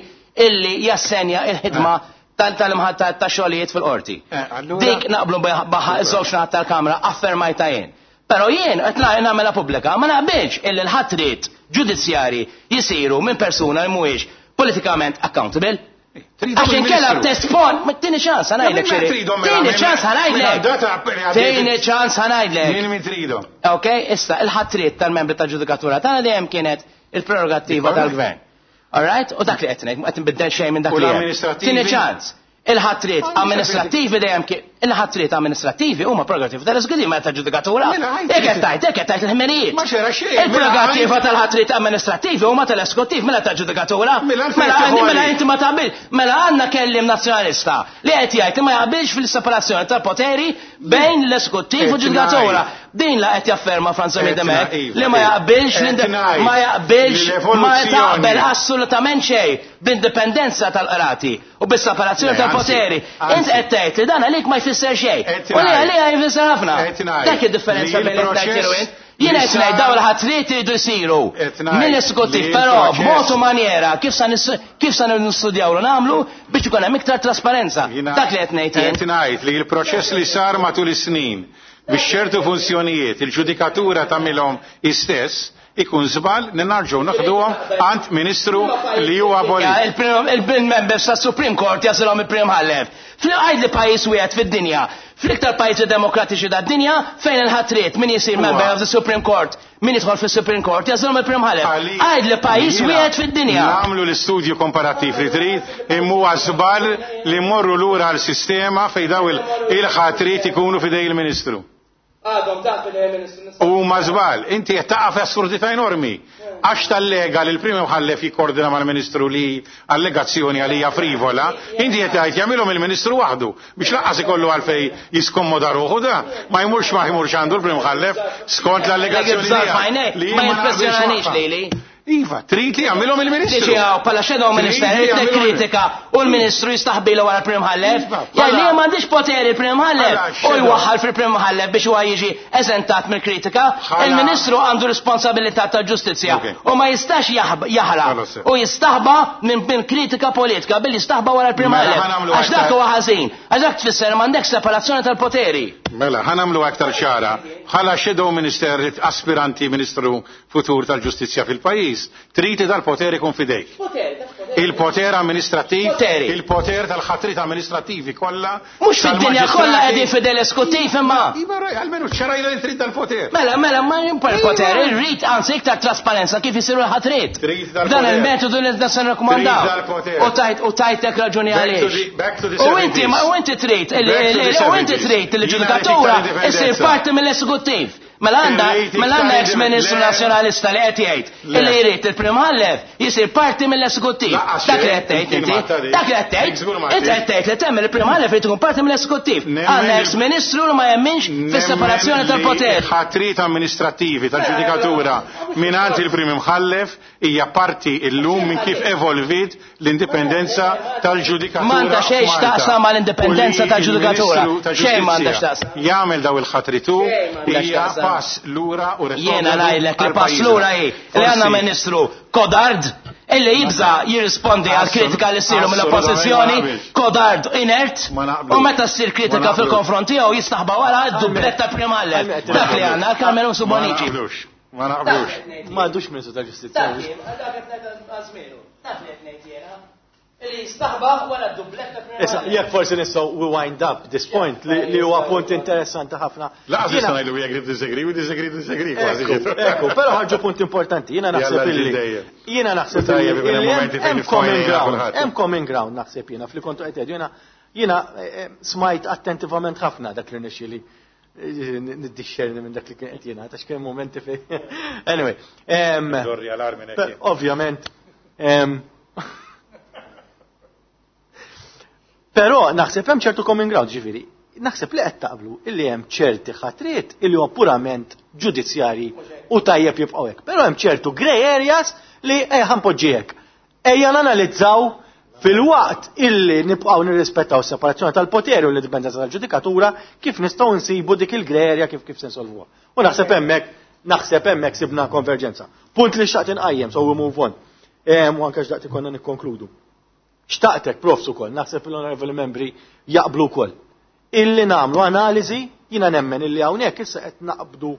illi jassenja il-ħidma tal-imħatta ta' xogħlijiet fil-qorti. Allura- Dik naqblu baħa iż-żewġ naħat tal-Kamra affermajta jien. Però jien qed nagħmilha pubblika ma naqbilx illi l-ħatriet ġudizzjari jisiru minn persuna li mhuwiex politikament accountable. Tridhom Għax inkella il-Ministru. tespon, ma tini ċans ħa ngħidlek Ma xiri. tridhom mela, Tini minn- ċans minn ħa ngħidlek. data għaddiet. Tini ċans ħa ngħidlek. Min min tridhom? Ok, issa il-ħatriet tal-membri tal-ġudikatura tagħna dejjem kienet il-prerogattiva tal-gvern. All right? U dak li qed ngħid, qed nbiddel xejn minn dak U li hemm. l-amministrativi? Tieni ċans. Il-ħatriet amministrativi dejjem kien il-ħatriet amministrativi huma prerogattiva tal-eżekutiv ma tal-ġudikatura. Mela, għajt Jekk qed tgħid, jekk qed tgħid il-ħmerijiet. Ma xera xejn, mela, Il-prerogattiva għajt- tal-ħatriet amministrativi huma tal-eżekutiv mela tal-ġudikatura. Mela, għalfejn Mela tieħu mela għalik. inti ma taqbil. Mela għandna kellim nazzjonalista li qed jgħid li ma jaqbilx fil-separazzjoni tal-poteri bejn l-eżekuttiv u Qed l-ġudikatura. ngħid. Din la qed jafferma Franza Qed Midemek ngħid, li ma iva, jaqbilx qed l-inde- ngħid ma jaqbilx li ma l-evoluzzjoni- taqbel assolutament xejn b'indipendenza tal-qrati u bis-separazzjoni Le, tal-poteri. anzi, Int qed tgħid li dan għalik ma jfisser xejn. Qed U li ngħid. għalija jfisser ħafna. Qed ngħid Dak id-differenza li bejn qed ngħid il-proċess- u int. Jiena qed ngħid dawn il-ħatriet iridu jsiru mill-esekutiv, però b'mod u maniera kif sa kif sa nistudjaw u nagħmlu biex ikun hemm iktar trasparenza. Dak li qed ngħid jien. Qed ngħid li l-proċess li sar matul is-snin biex ċertu funzjonijiet il-ġudikatura tagħmilhom istess ikun żball li narġgħu naħduhom għand ministru li huwa abolit. Il-members tas Supreme Court jasilhom il-Prim Imħallef. Għid li pajjiż wieħed fid-dinja, fl-iktar pajjiżi demokratiċi tad-dinja fejn il-ħatriet min jisir member of the Supreme Court, min jidħol fis-Supreme Court jasilhom il-Prim Imħallef. Għid li pajjiż wieħed fid-dinja. Nagħmlu l-istudju komparattiv li trid, imma huwa żball li mmorru lura għal sistema fejn daw il-ħatriet ikunu f'idej il-Ministru. Għadhom taħt il-Ministru. Huma żball. Inti qed taqa' f'assurdità enormi. Għax tallega li l-Prim Imħallef jikkordina mal-Ministru li allegazzjoni għalija frivola, inti qed tgħid jagħmilhom il-Ministru waħdu biex lanqas ikollu għalfejn jiskommoda ruħu da, ma jmurx ma jmurx għandu l-Prim Imħallef skont l-allegazzjoni tiegħek. Ma jimpressjonanix lili. Iva, trid li jagħmilhom il-Ministru. Tiġi hawn bħala shadow minister, irid kritika u l-Ministru jistaħbilu wara l-Prim Imħallef. Iva, Jgħid li m'għandix poteri l-Prim Imħallef Bħala u shadow. jwaħħal fil-Prim Imħallef biex huwa jiġi eżentat mill-kritika. Bħala- Il-Ministru għandu responsabilità tal-ġustizzja Ok. u ma jistax jaħrab Ħalas. u jistaħba minn kritika politika billi jistaħba wara l-Prim Mela, Imħallef. ħa nagħmlu Għax dak aktar. huwa ħażin, għax dak tfisser m'għandekx separazzjoni tal-poteri. Mela, ħa nagħmlu aktar ċara. Bħala shadow minister aspiranti ministru futur tal-ġustizzja fil-pajjiż, trid li dal-poter ikun fidejk. Il-poter amministrattiv, Poteri. il-poter tal-ħatrit amministrativi kollha. Mhux fid-dinja tal-maġistrati. kollha qegħdin fidel eskuttiv imma. Iva, raj, almenu ċarajna li trid dal-poter. Mela, mela, ma jimpar poter, irrid anzi iktar trasparenza kif isiru l-ħatrit. Trid dal-poter. Dan il-metodu li nista' nirrakkomandaw. Trid dal-poter. U tajt u tajtek raġuni Back to għaliex. back to the U inti 70s. ma u inti trid Back to the u inti 70s. trid Jiena il-ġudikatura rrid iktar issir indipendenza. parti mill-esekuttiv. Mela għandha Irrid mela iktar għandha ex-ministru Le. nazzjonalista li qed jgħid Le. illi jrid il-Prim Imħallef jisir parti mill-esekuttiv. Laqqas Dak li xejn, qed tgħid kien inti. ma tgħid. Dak li qed tgħid. Żgur ma Inti qed tgħid. tgħid li temmen il-Prim Imħallef irid ikun parti mill-esekuttiv. Nemmen Għandna li- ex-ministru li ma jemminx fis-separazzjoni tal-poter. Ħatrit amministrativi tal-ġudikatura mingħand il-Prim Imħallef hija parti illum minn kif evolvit l-indipendenza tal-ġudikatura. M'għandha xejn f'Malta. x'taqsam mal-indipendenza U li tal-ġudikatura. il-Ministru Xejn m'għandha tal-Ġustizzja x'taqsam. Jagħmel daw il-ħatritu Xejn m'għandha hija x'taqsam. pass lura u Jiena ngħidlek li għal pass pajjiżna. lura hi li għandna Forsi- ministru kodard illi jibża jirrispondi għal kritika li ssiru mill-oppożizzjoni, Assolutament ma naqbilx. kodard inert, Ma naqblux. u meta ssir Ma kritika naqblux. fil-konfront tiegħu jistaħba wara d-dubletta Prim Imħallef. Dak li għandna Carmelo Ma Subonici. naqblux. Ma naqblux. Ma għadux Ministru tal-Ġustizzja. Illi jistaħba wara d-dubletta Prim Issa, jekk forsi nistgħu we wind up this point li huwa punt interessanti ħafna. Laqas Jiena- nista' ngħidu we agree to disagree, we disagree to disagree kważi. Ekku, ekku, però ħarġu punt importanti. Jiena naħseb Jalla illi. ġdejja. Jiena naħseb Tajjeb, illi ikun hemm illi momenti hemm fejn hemm common nifhmu ground, kulħadd. hemm common ground naħseb jiena fli kontu qed tgħidu. Jiena jiena smajt attentivament ħafna dak li nixxieli niddixxerni minn dak li kien qed jingħad għax kien momenti fejn. Anyway, Dorri alarmi nek. Ovvjament. Però naħseb hemm ċertu common ground ġifieri. Naħseb li qed taqblu illi hemm ċerti ħatriet illi huwa purament ġudizzjarji u tajjeb jibqgħu hekk. Però hemm ċertu grey areas li ejja ħanpoġġi hekk. Ejja nanalizzaw fil-waqt illi nibqgħu nirrispettaw separazzjoni tal-poteri u l-indipendenza tal-ġudikatura kif nistgħu nsibu dik il-grey area kif kif se nsolvuha. U naħseb hemmhekk naħseb hemmhekk sibna konverġenza. Punt li xtaqt inqajjem, so we move on. U anke xtaqt ikonna nikkonkludu. Xtaqtek, profs ukoll, naħseb l-onorevoli membri jaqblu wkoll. Illi nagħmlu analiżi, jiena nemmen illi hawnhekk issa qed naqbdu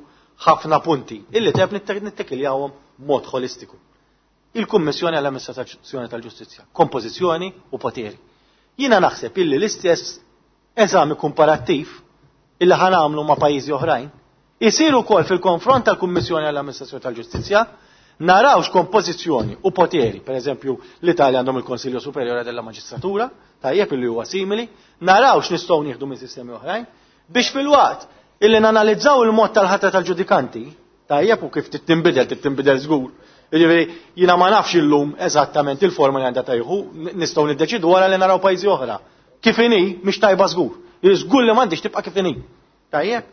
ħafna punti illi teb nittekiljawhom mod holistiku. Il-Kummissjoni għall-Amministrazzjoni tal-Ġustizzja, kompożizzjoni u poteri. Jiena naħseb illi l-istess eżami komparattiv illi ħanamlu ma' pajjiżi oħrajn, isir ukoll fil-konfront tal-Kummissjoni għall-Amministrazzjoni tal-Ġustizzja, narawx kompożizzjoni u poteri, per eżempju l-Italja għandhom il-Konsilju Superiore della Magistratura, tajjeb illi huwa simili, narawx nistgħu nieħdu minn sistemi oħrajn, biex fil-waqt illi nanalizzaw il-mod tal-ħatra tal-ġudikanti, tajjeb u kif tittinbidel, tittinbidel żgur. Jiġifieri jiena ma nafx illum eżattament il-forma li għandha tajħu, nistgħu niddeċidu wara li naraw pajjiżi oħra. Kif inhi mhix tajba żgur. Żgur li m'għandix tibqa' kif inhi. Tajjeb,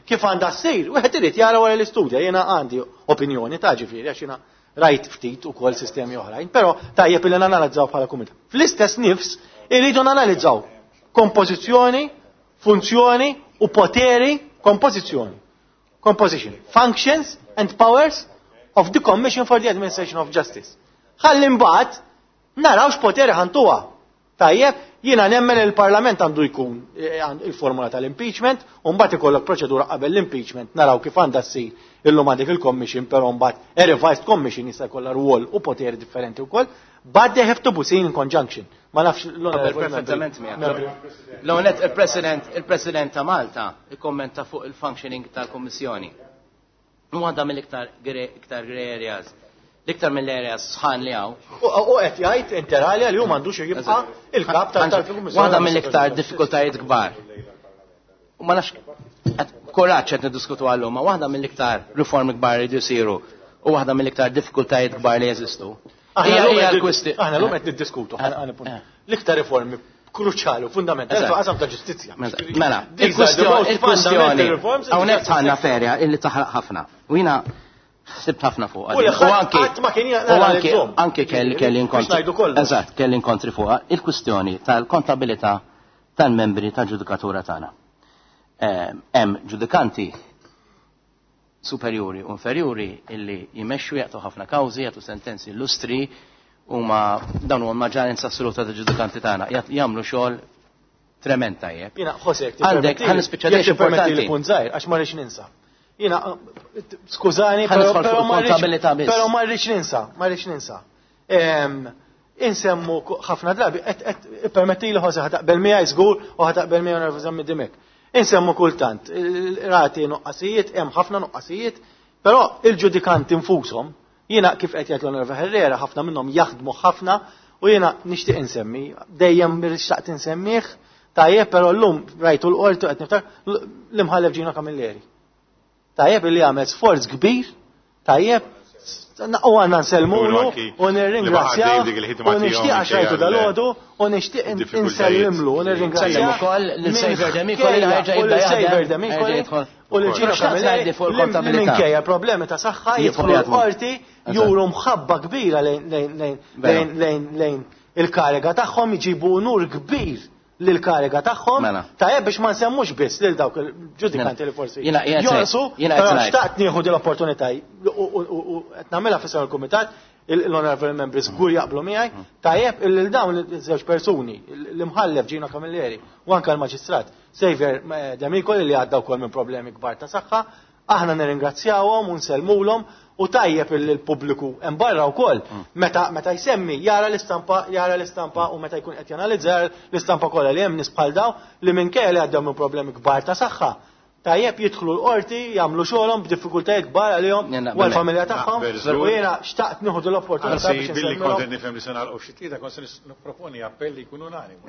kif għandha ssir, wieħed irid jara wara l-istudja, jiena għandi opinjoni ta' ġifieri għax jiena rajt ftit ukoll sistemi oħrajn, però tajjeb illi nanalizzaw bħala kumitat. Fl-istess nifs irridu nanalizzaw kompożizzjoni, funzjoni u poteri, kompożizzjoni. Composition, functions and powers of the Commission for the Administration of Justice. Ħalli mbagħad naraw x'poteri ħa ntuha. Tajjeb, jiena nemmen il-Parlament għandu jkun il-formula tal-impeachment, u mbagħad ikollok proċedura qabel l-impeachment, naraw kif għandha ssir illum għandek il-Commission, però mbagħad a revised Commission jista' jkollha rwol u poteri differenti wkoll, but they have to be seen in conjunction. Ma nafx l-onorevoli. Perfettament miegħek. L-ewwel il-President ta' Malta ikkommenta fuq il-functioning tal-Kummissjoni. U għadha mill-iktar iktar grey areas. L-iktar mill-areas sħan li hawn. U qed jgħid inter alia li hu m'għandux jibqa' il-kap tal-Kummissjoni. Waħda mill-iktar diffikultajiet kbar. U ma nafx kuraġġ qed niddiskutu għallum, ma waħda mill-iktar riformi kbar li jsiru u waħda mill-iktar diffikultajiet kbar li jeżistu. Aħna llum qed niddiskutu l-iktar riformi kruċjali u fundamentali fil-qasam ta' ġustizzja. Mela, il-kwestjoni hawnhekk tħanna ferja illi taħraq ħafna. U jiena ħsibt ħafna fuq. U anki anki kelli inkontri. Eżatt, kelli inkontri fuqha il-kwistjoni tal-kontabilità tal-membri tal-ġudikatura tagħna. Hemm ġudikanti superjuri u inferjuri illi jmexxu, jagħtu ħafna kawżi, jagħtu sentenzi illustri, huma dawn huma maġġoranza assoluta ta' ġudikanti tagħna, jagħmlu xogħol trement tajjeb. Jiena Jose, għandek ħa nispiċċa dejjem importanti punt żgħir għax ma rridx ninsa. Jiena skużani, però ma rridx ninsa, ma rridx ninsa. Insemmu ħafna drabi, permetti li Jose ħa taqbel miegħi żgur u ħa taqbel miegħi nervuża mid-dimek. Insemmu kultant, rati nuqqasijiet, hemm ħafna nuqqasijiet, però il-ġudikanti infushom, jiena kif qed jgħid l-Onorevoli Herrera, ħafna minnhom jaħdmu ħafna u jiena nixtieq insemmi, dejjem xtaqt insemmih, tajjeb, però llum rajtu l-qorti qed niftakar l-imħallef Gino Camilleri. Tajjeb li għamel sforz kbir, tajjeb, u għandna nsellmulu u nirringrazzjaw u nixtieq għax rajtu dalgħodu u nixtieq insellimlu u nirringrazzjaw ukoll lil Xavier Demicoli li ħerġa' u lil Xavier Demicoli u lil Gino Camilleri li minkejja problemi ta' saħħa jidħlu l-qorti juru mħabba kbira lejn il-kariga tagħhom, jġibu unur kbir lil-kariga tagħhom. Tajjeb biex ma nsemmux biss lil dawk il-ġudikanti li forsi jonqsu, però xtaqt nieħu din l-opportunità u qed nagħmilha f'isem il-kumitat, l-honorable members żgur jaqblu miegħi, tajjeb lil dawn iż-żewġ persuni, l-imħallef Gino Camilleri u anke l-maġistrat Xavier Demicoli li għadda wkoll minn problemi kbar ta' saħħa, aħna nirringrazzjawhom u nsellmulhom u tajjeb il-pubbliku hemm barra wkoll meta jsemmi jara l-istampa u meta jkun qed janalizza l-istampa kollha li hemm nies bħal daw li minkejja li għaddew minn problemi kbar ta' saħħa, tajjeb, jidħlu l-qorti, jagħmlu xogħolhom b'diffikultajiet kbar għalihom u għall-familja tagħhom. U jiena xtaqt nieħu l-opportunità biex billi kont nifhem li se nagħlqu xi tlieta, kont se nipproponi appell li jkun unanimu.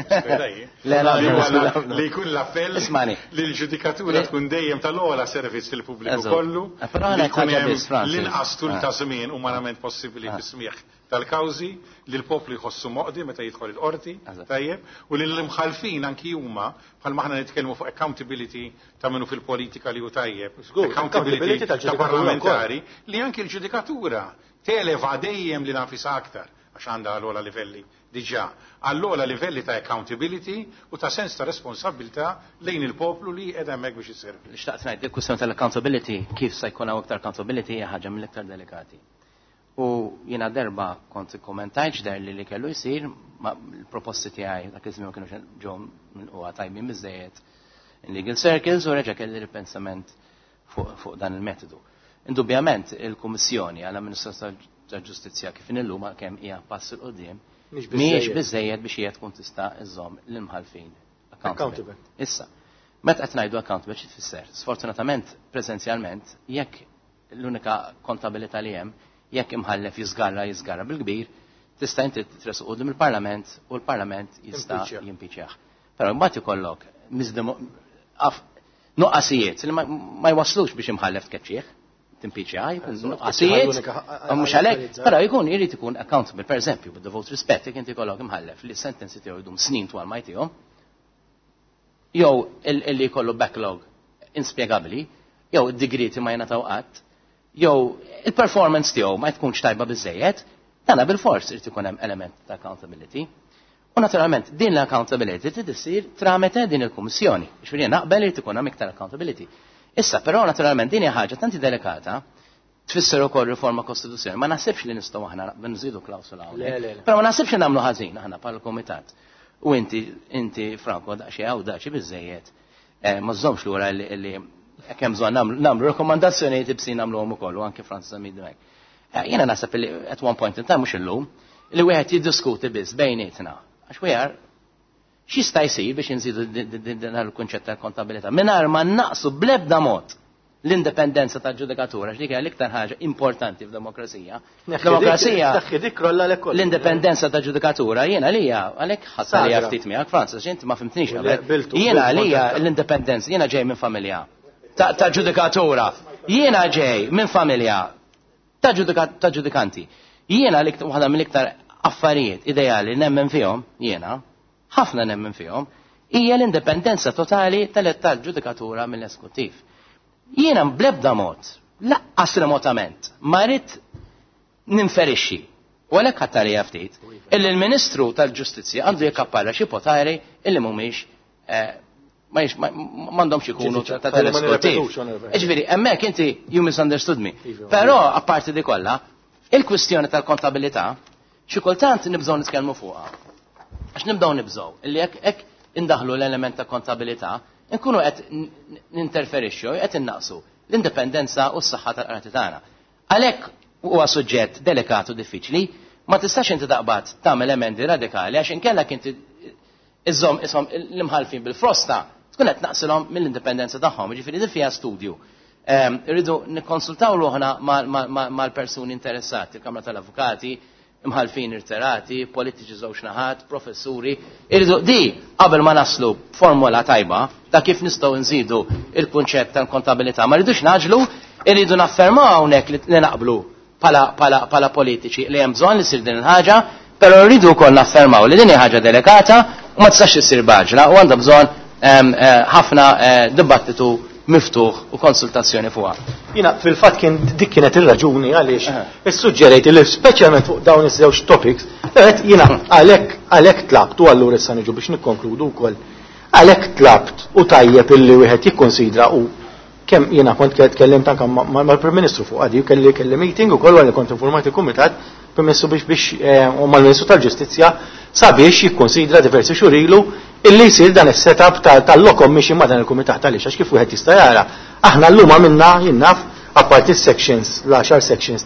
Li jkun l-appell li l-ġudikatura tkun dejjem tal-ogħla servizz fil-pubbliku kollu. Li jkun hemm l-inqas tul ta' żmien umanament possibbli fis-smieħ tal-kawżi, li l-poplu jħossu moqdi meta jidħol il-qorti, tajjeb, u li l-imħalfin anki huma, bħal aħna nitkellmu fuq accountability ta' minnu fil-politika li hu tajjeb, accountability ta' parlamentari, li anki l-ġudikatura televa dejjem li nafisa aktar, għax għandha għal livelli diġà, għall-ogħla livelli ta' accountability u ta' sens ta' responsabilità lejn il-poplu li qiegħed hemmhekk biex isservi. Xtaqt ngħid, il-kwistjoni tal-accountability, kif se jkun hawn aktar accountability, hija ħaġa mill-iktar delikati. U jiena darba kont kommentajt der li kellu jsir, ma l-proposti tiegħi dak iż-żmien ma kienux ġew milqugħa tajbin biżejjed in legal circles u reġa' kelli ripensament fuq dan il-metodu. Indubjament il-Kummissjoni għall-Amministrazzjoni tal-Ġustizzja kif illum, kemm hija pass 'il quddiem, mhijiex biżejjed biex hija tkun tista' iżżomm l-imħalfin accountable. Issa, meta qed ngħidu accountable, xi tfisser? Sfortunatament, preżenzjalment, jekk l-unika kontabilità li hemm, jekk imħallef jiżgarra, jiżgarra bil-kbir, tista' inti tressqu quddiem il-Parlament u l-Parlament jista' jimpiċjah. Però mbagħad ikollok nuqqasijiet li ma jwaslux biex imħallef tkeċċih, timpiċjah, jkun nuqqasijiet, mhux għalhekk, però jkun irid ikun accountable, per eżempju, with the respect, jekk inti jkollok imħallef li sentenzi tiegħu jdum snin twal ma jtihom, jew illi jkollu backlog inspjegabbli, jew id-digriti ma jingħataw qatt, jew il-performance tiegħu ma tkunx tajba biżejjed, dana bil-fors irid ikun hemm element ta' accountability. U naturalment din l-accountability trid issir tramite din il-kummissjoni. Ġifieri naqbel irid ikun hemm iktar accountability. Issa, però naturalment din hija ħaġa tanti delikata, tfisser ukoll riforma kostituzzjonali. Ma naħsibx li nistgħu aħna nżidu klawsula hawnhekk. Però ma naħsibx li nagħmlu ħażin aħna bħala kumitat. U inti, inti Franco, daqsxejn awdaċi biżejjed. Eh, ma żommx lura li hekk hemm bżonn nagħmlu rakkomandazzjonijiet ibsin nagħmluhom ukoll u anke Francis Zammit Dimech. Eh, jiena naħseb li at one point in time mhux illum li wieħed jiddiskuti biss bejnietna. Għax we are x'jista' jsir biex inżidu dan il-kunċett tal-kontabilità mingħajr ma naqsu bl-ebda mod l-indipendenza tal-ġudikatura, x'dik hija l-iktar ħaġa importanti f'demokrazija. Demokrazija. L-indipendenza tal-ġudikatura jiena għalija għalhekk ħadd li ftit miegħek Francis, inti ma fimtnix qabel. Jiena għalija l-indipendenza, jiena ġej minn familja ta' ġudikatura. Jiena ġej minn familja ta' ġudikanti. Jiena waħda mill-iktar affarijiet ideali nemmen fihom, jiena, ħafna nemmen fihom, hija l-indipendenza totali tal-ġudikatura mill-eskuttiv. Jiena bl-ebda mod, laqqas remotament, ma rrid ninferixxi, u għalhekk ħadd għalija ftit, illi l-Ministru tal-Ġustizzja għandu jekkappara xi poteri illi mhumiex eh, m'għandhomx ikunu ta' tal-eskuttiv. Ġifieri, hemmhekk inti you misunderstood me. Iva, Però apparti di kollha, il-kwistjoni tal-kontabilità xi kultant nibżgħu nitkellmu fuqha. Għax nibdew nibżgħu illi jekk hekk indaħlu l-element ta' kontabilità, nkunu qed ninterferixxu, qed innaqsu l-indipendenza u s-saħħa tal-qrati tagħna. Għalhekk huwa suġġett delikat u diffiċli, ma tistax inti taqbad tagħmel emendi radikali għax inkella inti iżżomm ishom l-imħalfin bil-frosta tkun qed naqsilhom mill-indipendenza tagħhom, jiġifieri din fiha studju. Irridu nikkonsultaw ruħna mal-persuni interessati, il-Kamra tal-Avukati, imħalfin irterati, politiċi żewġ naħat, professuri, irridu di qabel ma naslu formula tajba ta' kif nistgħu nżidu il-kunċett tal-kontabilità. Ma rridux naġlu, irridu naffermaw hawnhekk li naqblu pala politiċi li hemm bżonn li ssir din il-ħaġa, però rridu wkoll naffermaw li din hija ħaġa delikata u ma tistax issir baġla u għandha bżonn ħafna dibattitu miftuħ u konsultazzjoni fuqha. Jiena fil-fatt kien dik kienet ir-raġuni għaliex issuġġerejt li speċjalment fuq dawn iż-żewġ topics, qed jiena għalhekk għalhekk tlabt u allura issa niġu biex nikkonkludu wkoll. Għalhekk tlabt u tajjeb illi wieħed jikkonsidra u kemm jiena kont tkellimt anke mal-Prim Ministru fuq għadi kelli kelli meeting ukoll wara li kont informat il-Kumitat Prim Ministru biex biex u mal-Ministru tal-Ġustizzja sabiex jikkonsidra diversi xhur ilu illi jsir dan is-setup tal-law commission ma' dan il-kumitat għaliex għax kif wieħed jista' jara aħna llum għamilna jien naf apparti s-sections l-għaxar sections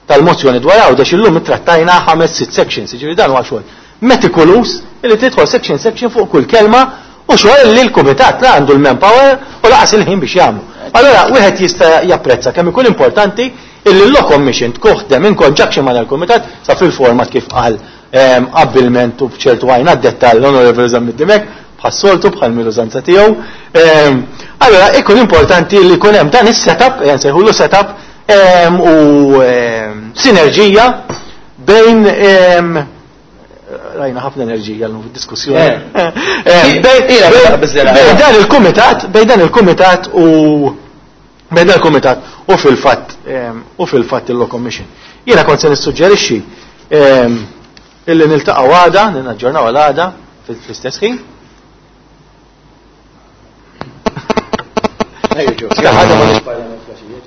tal-mozzjoni dwar Għawdex illum ittrattajna ħames sitt sections jiġifieri dan huwa xogħol meticulous illi tidħol section section fuq kull kelma u xogħol li l-kumitat la għandu l-manpower u laqas il-ħin biex jagħmlu. Allura wieħed jista' japprezza kemm ikun importanti illi l-Law Commission tkuħdem in conjunction ma' dal-kumitat sa fil-format kif qal abbilment u b'ċertu għajn għad-dettall l-Onorevoli Zammit Dimech bħas-soltu bħal mill-użanza tiegħu. Allura ikun importanti li jkun hemm dan is-setup, nsejħulu setup u sinerġija bejn rajna ħafna enerġija l fid-diskussjoni. Bejn dan il-kumitat, bejn dan il-kumitat u bejn dan il-kumitat u fil-fatt u fil-fatt il-Law Commission. Jiena kont se nissuġġerixxi illi niltaqgħu għada, ninaġġornaw għal għada fl-istess ħin. Ħaġa ma nix parlament flaxija.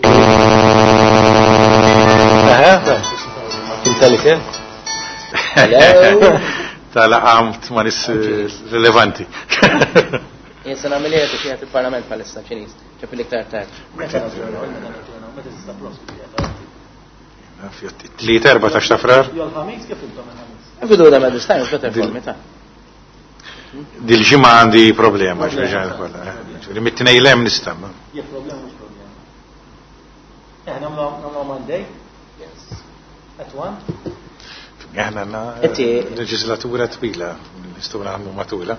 Intelli Tal-għamt ma nis rilevanti. Jien se nagħmel qed qiegħed il-Parlament bħalissa Ċiniż, ċep l-iktar tard. Tliet erba' ta' xtafrar. Jol-ħamis kif intom il-ħamis? Bidu da this time, better for me ta' Dil-ġimgħa għandi problema x'ġan kollha. Ġifieri mit-tnejn lem nista'. Jekk problema mhux problema. Eh, nagħmlu Monday? Yes. At one? Aħna għandna leġislatura twila, nistgħu nagħmlu matula.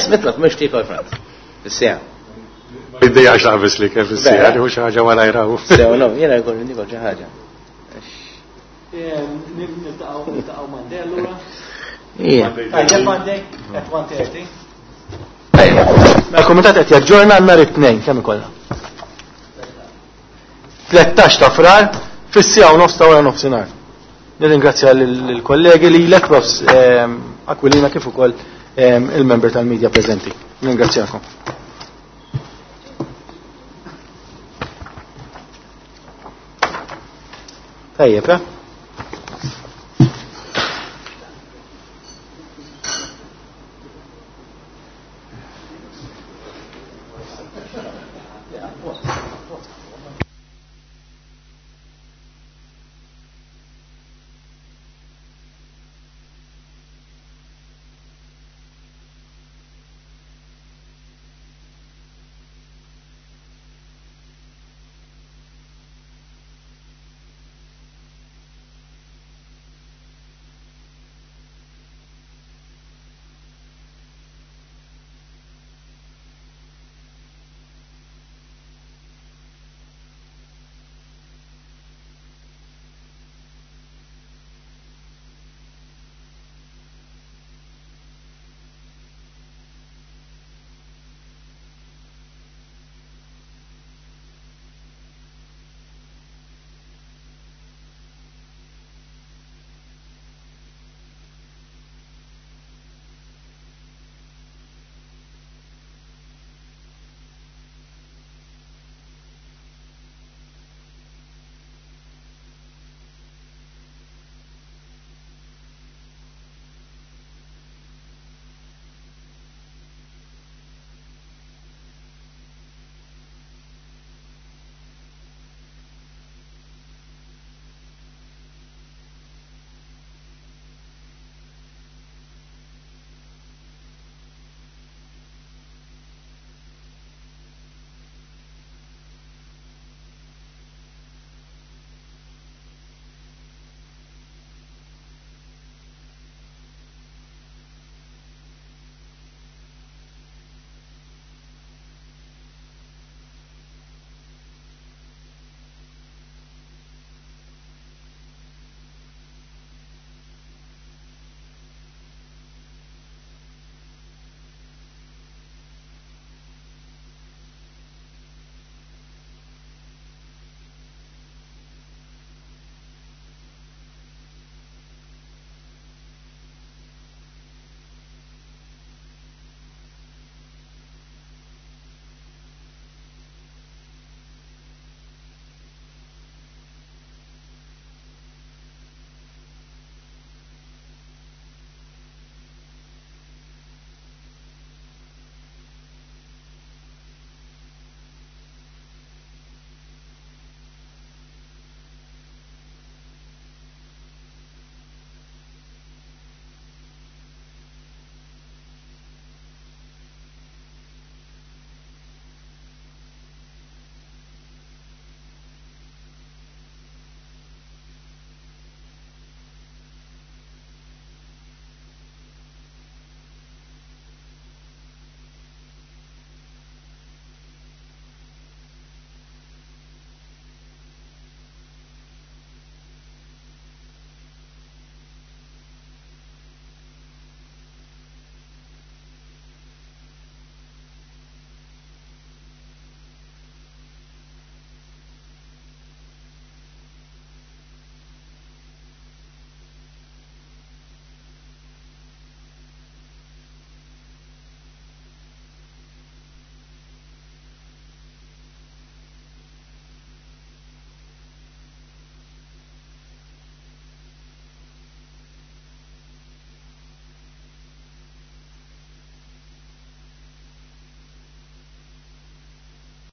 Ismitlok mhux tikol Franz. Is-sija. Id-dejja xaqbis li kif is-sija, li xi ħaġa wara jraw. Sew, no, jiena jkolli nikol xi ħaġa. Niltaqgħu Monday allura. Ija. Tajjeb Monday at 1:30. Mela l-kumitat qed jaġġorna nhar it-tnejn kemm ikollha? 13 ta' Frar fis-siegħa u nofs ta' wara nofsinhar. Nirringrazzja lill-kollegi lilek Profs Aquilina kif ukoll il-member tal-media preżenti. Ningrazzjakom. Tajjeb, eh?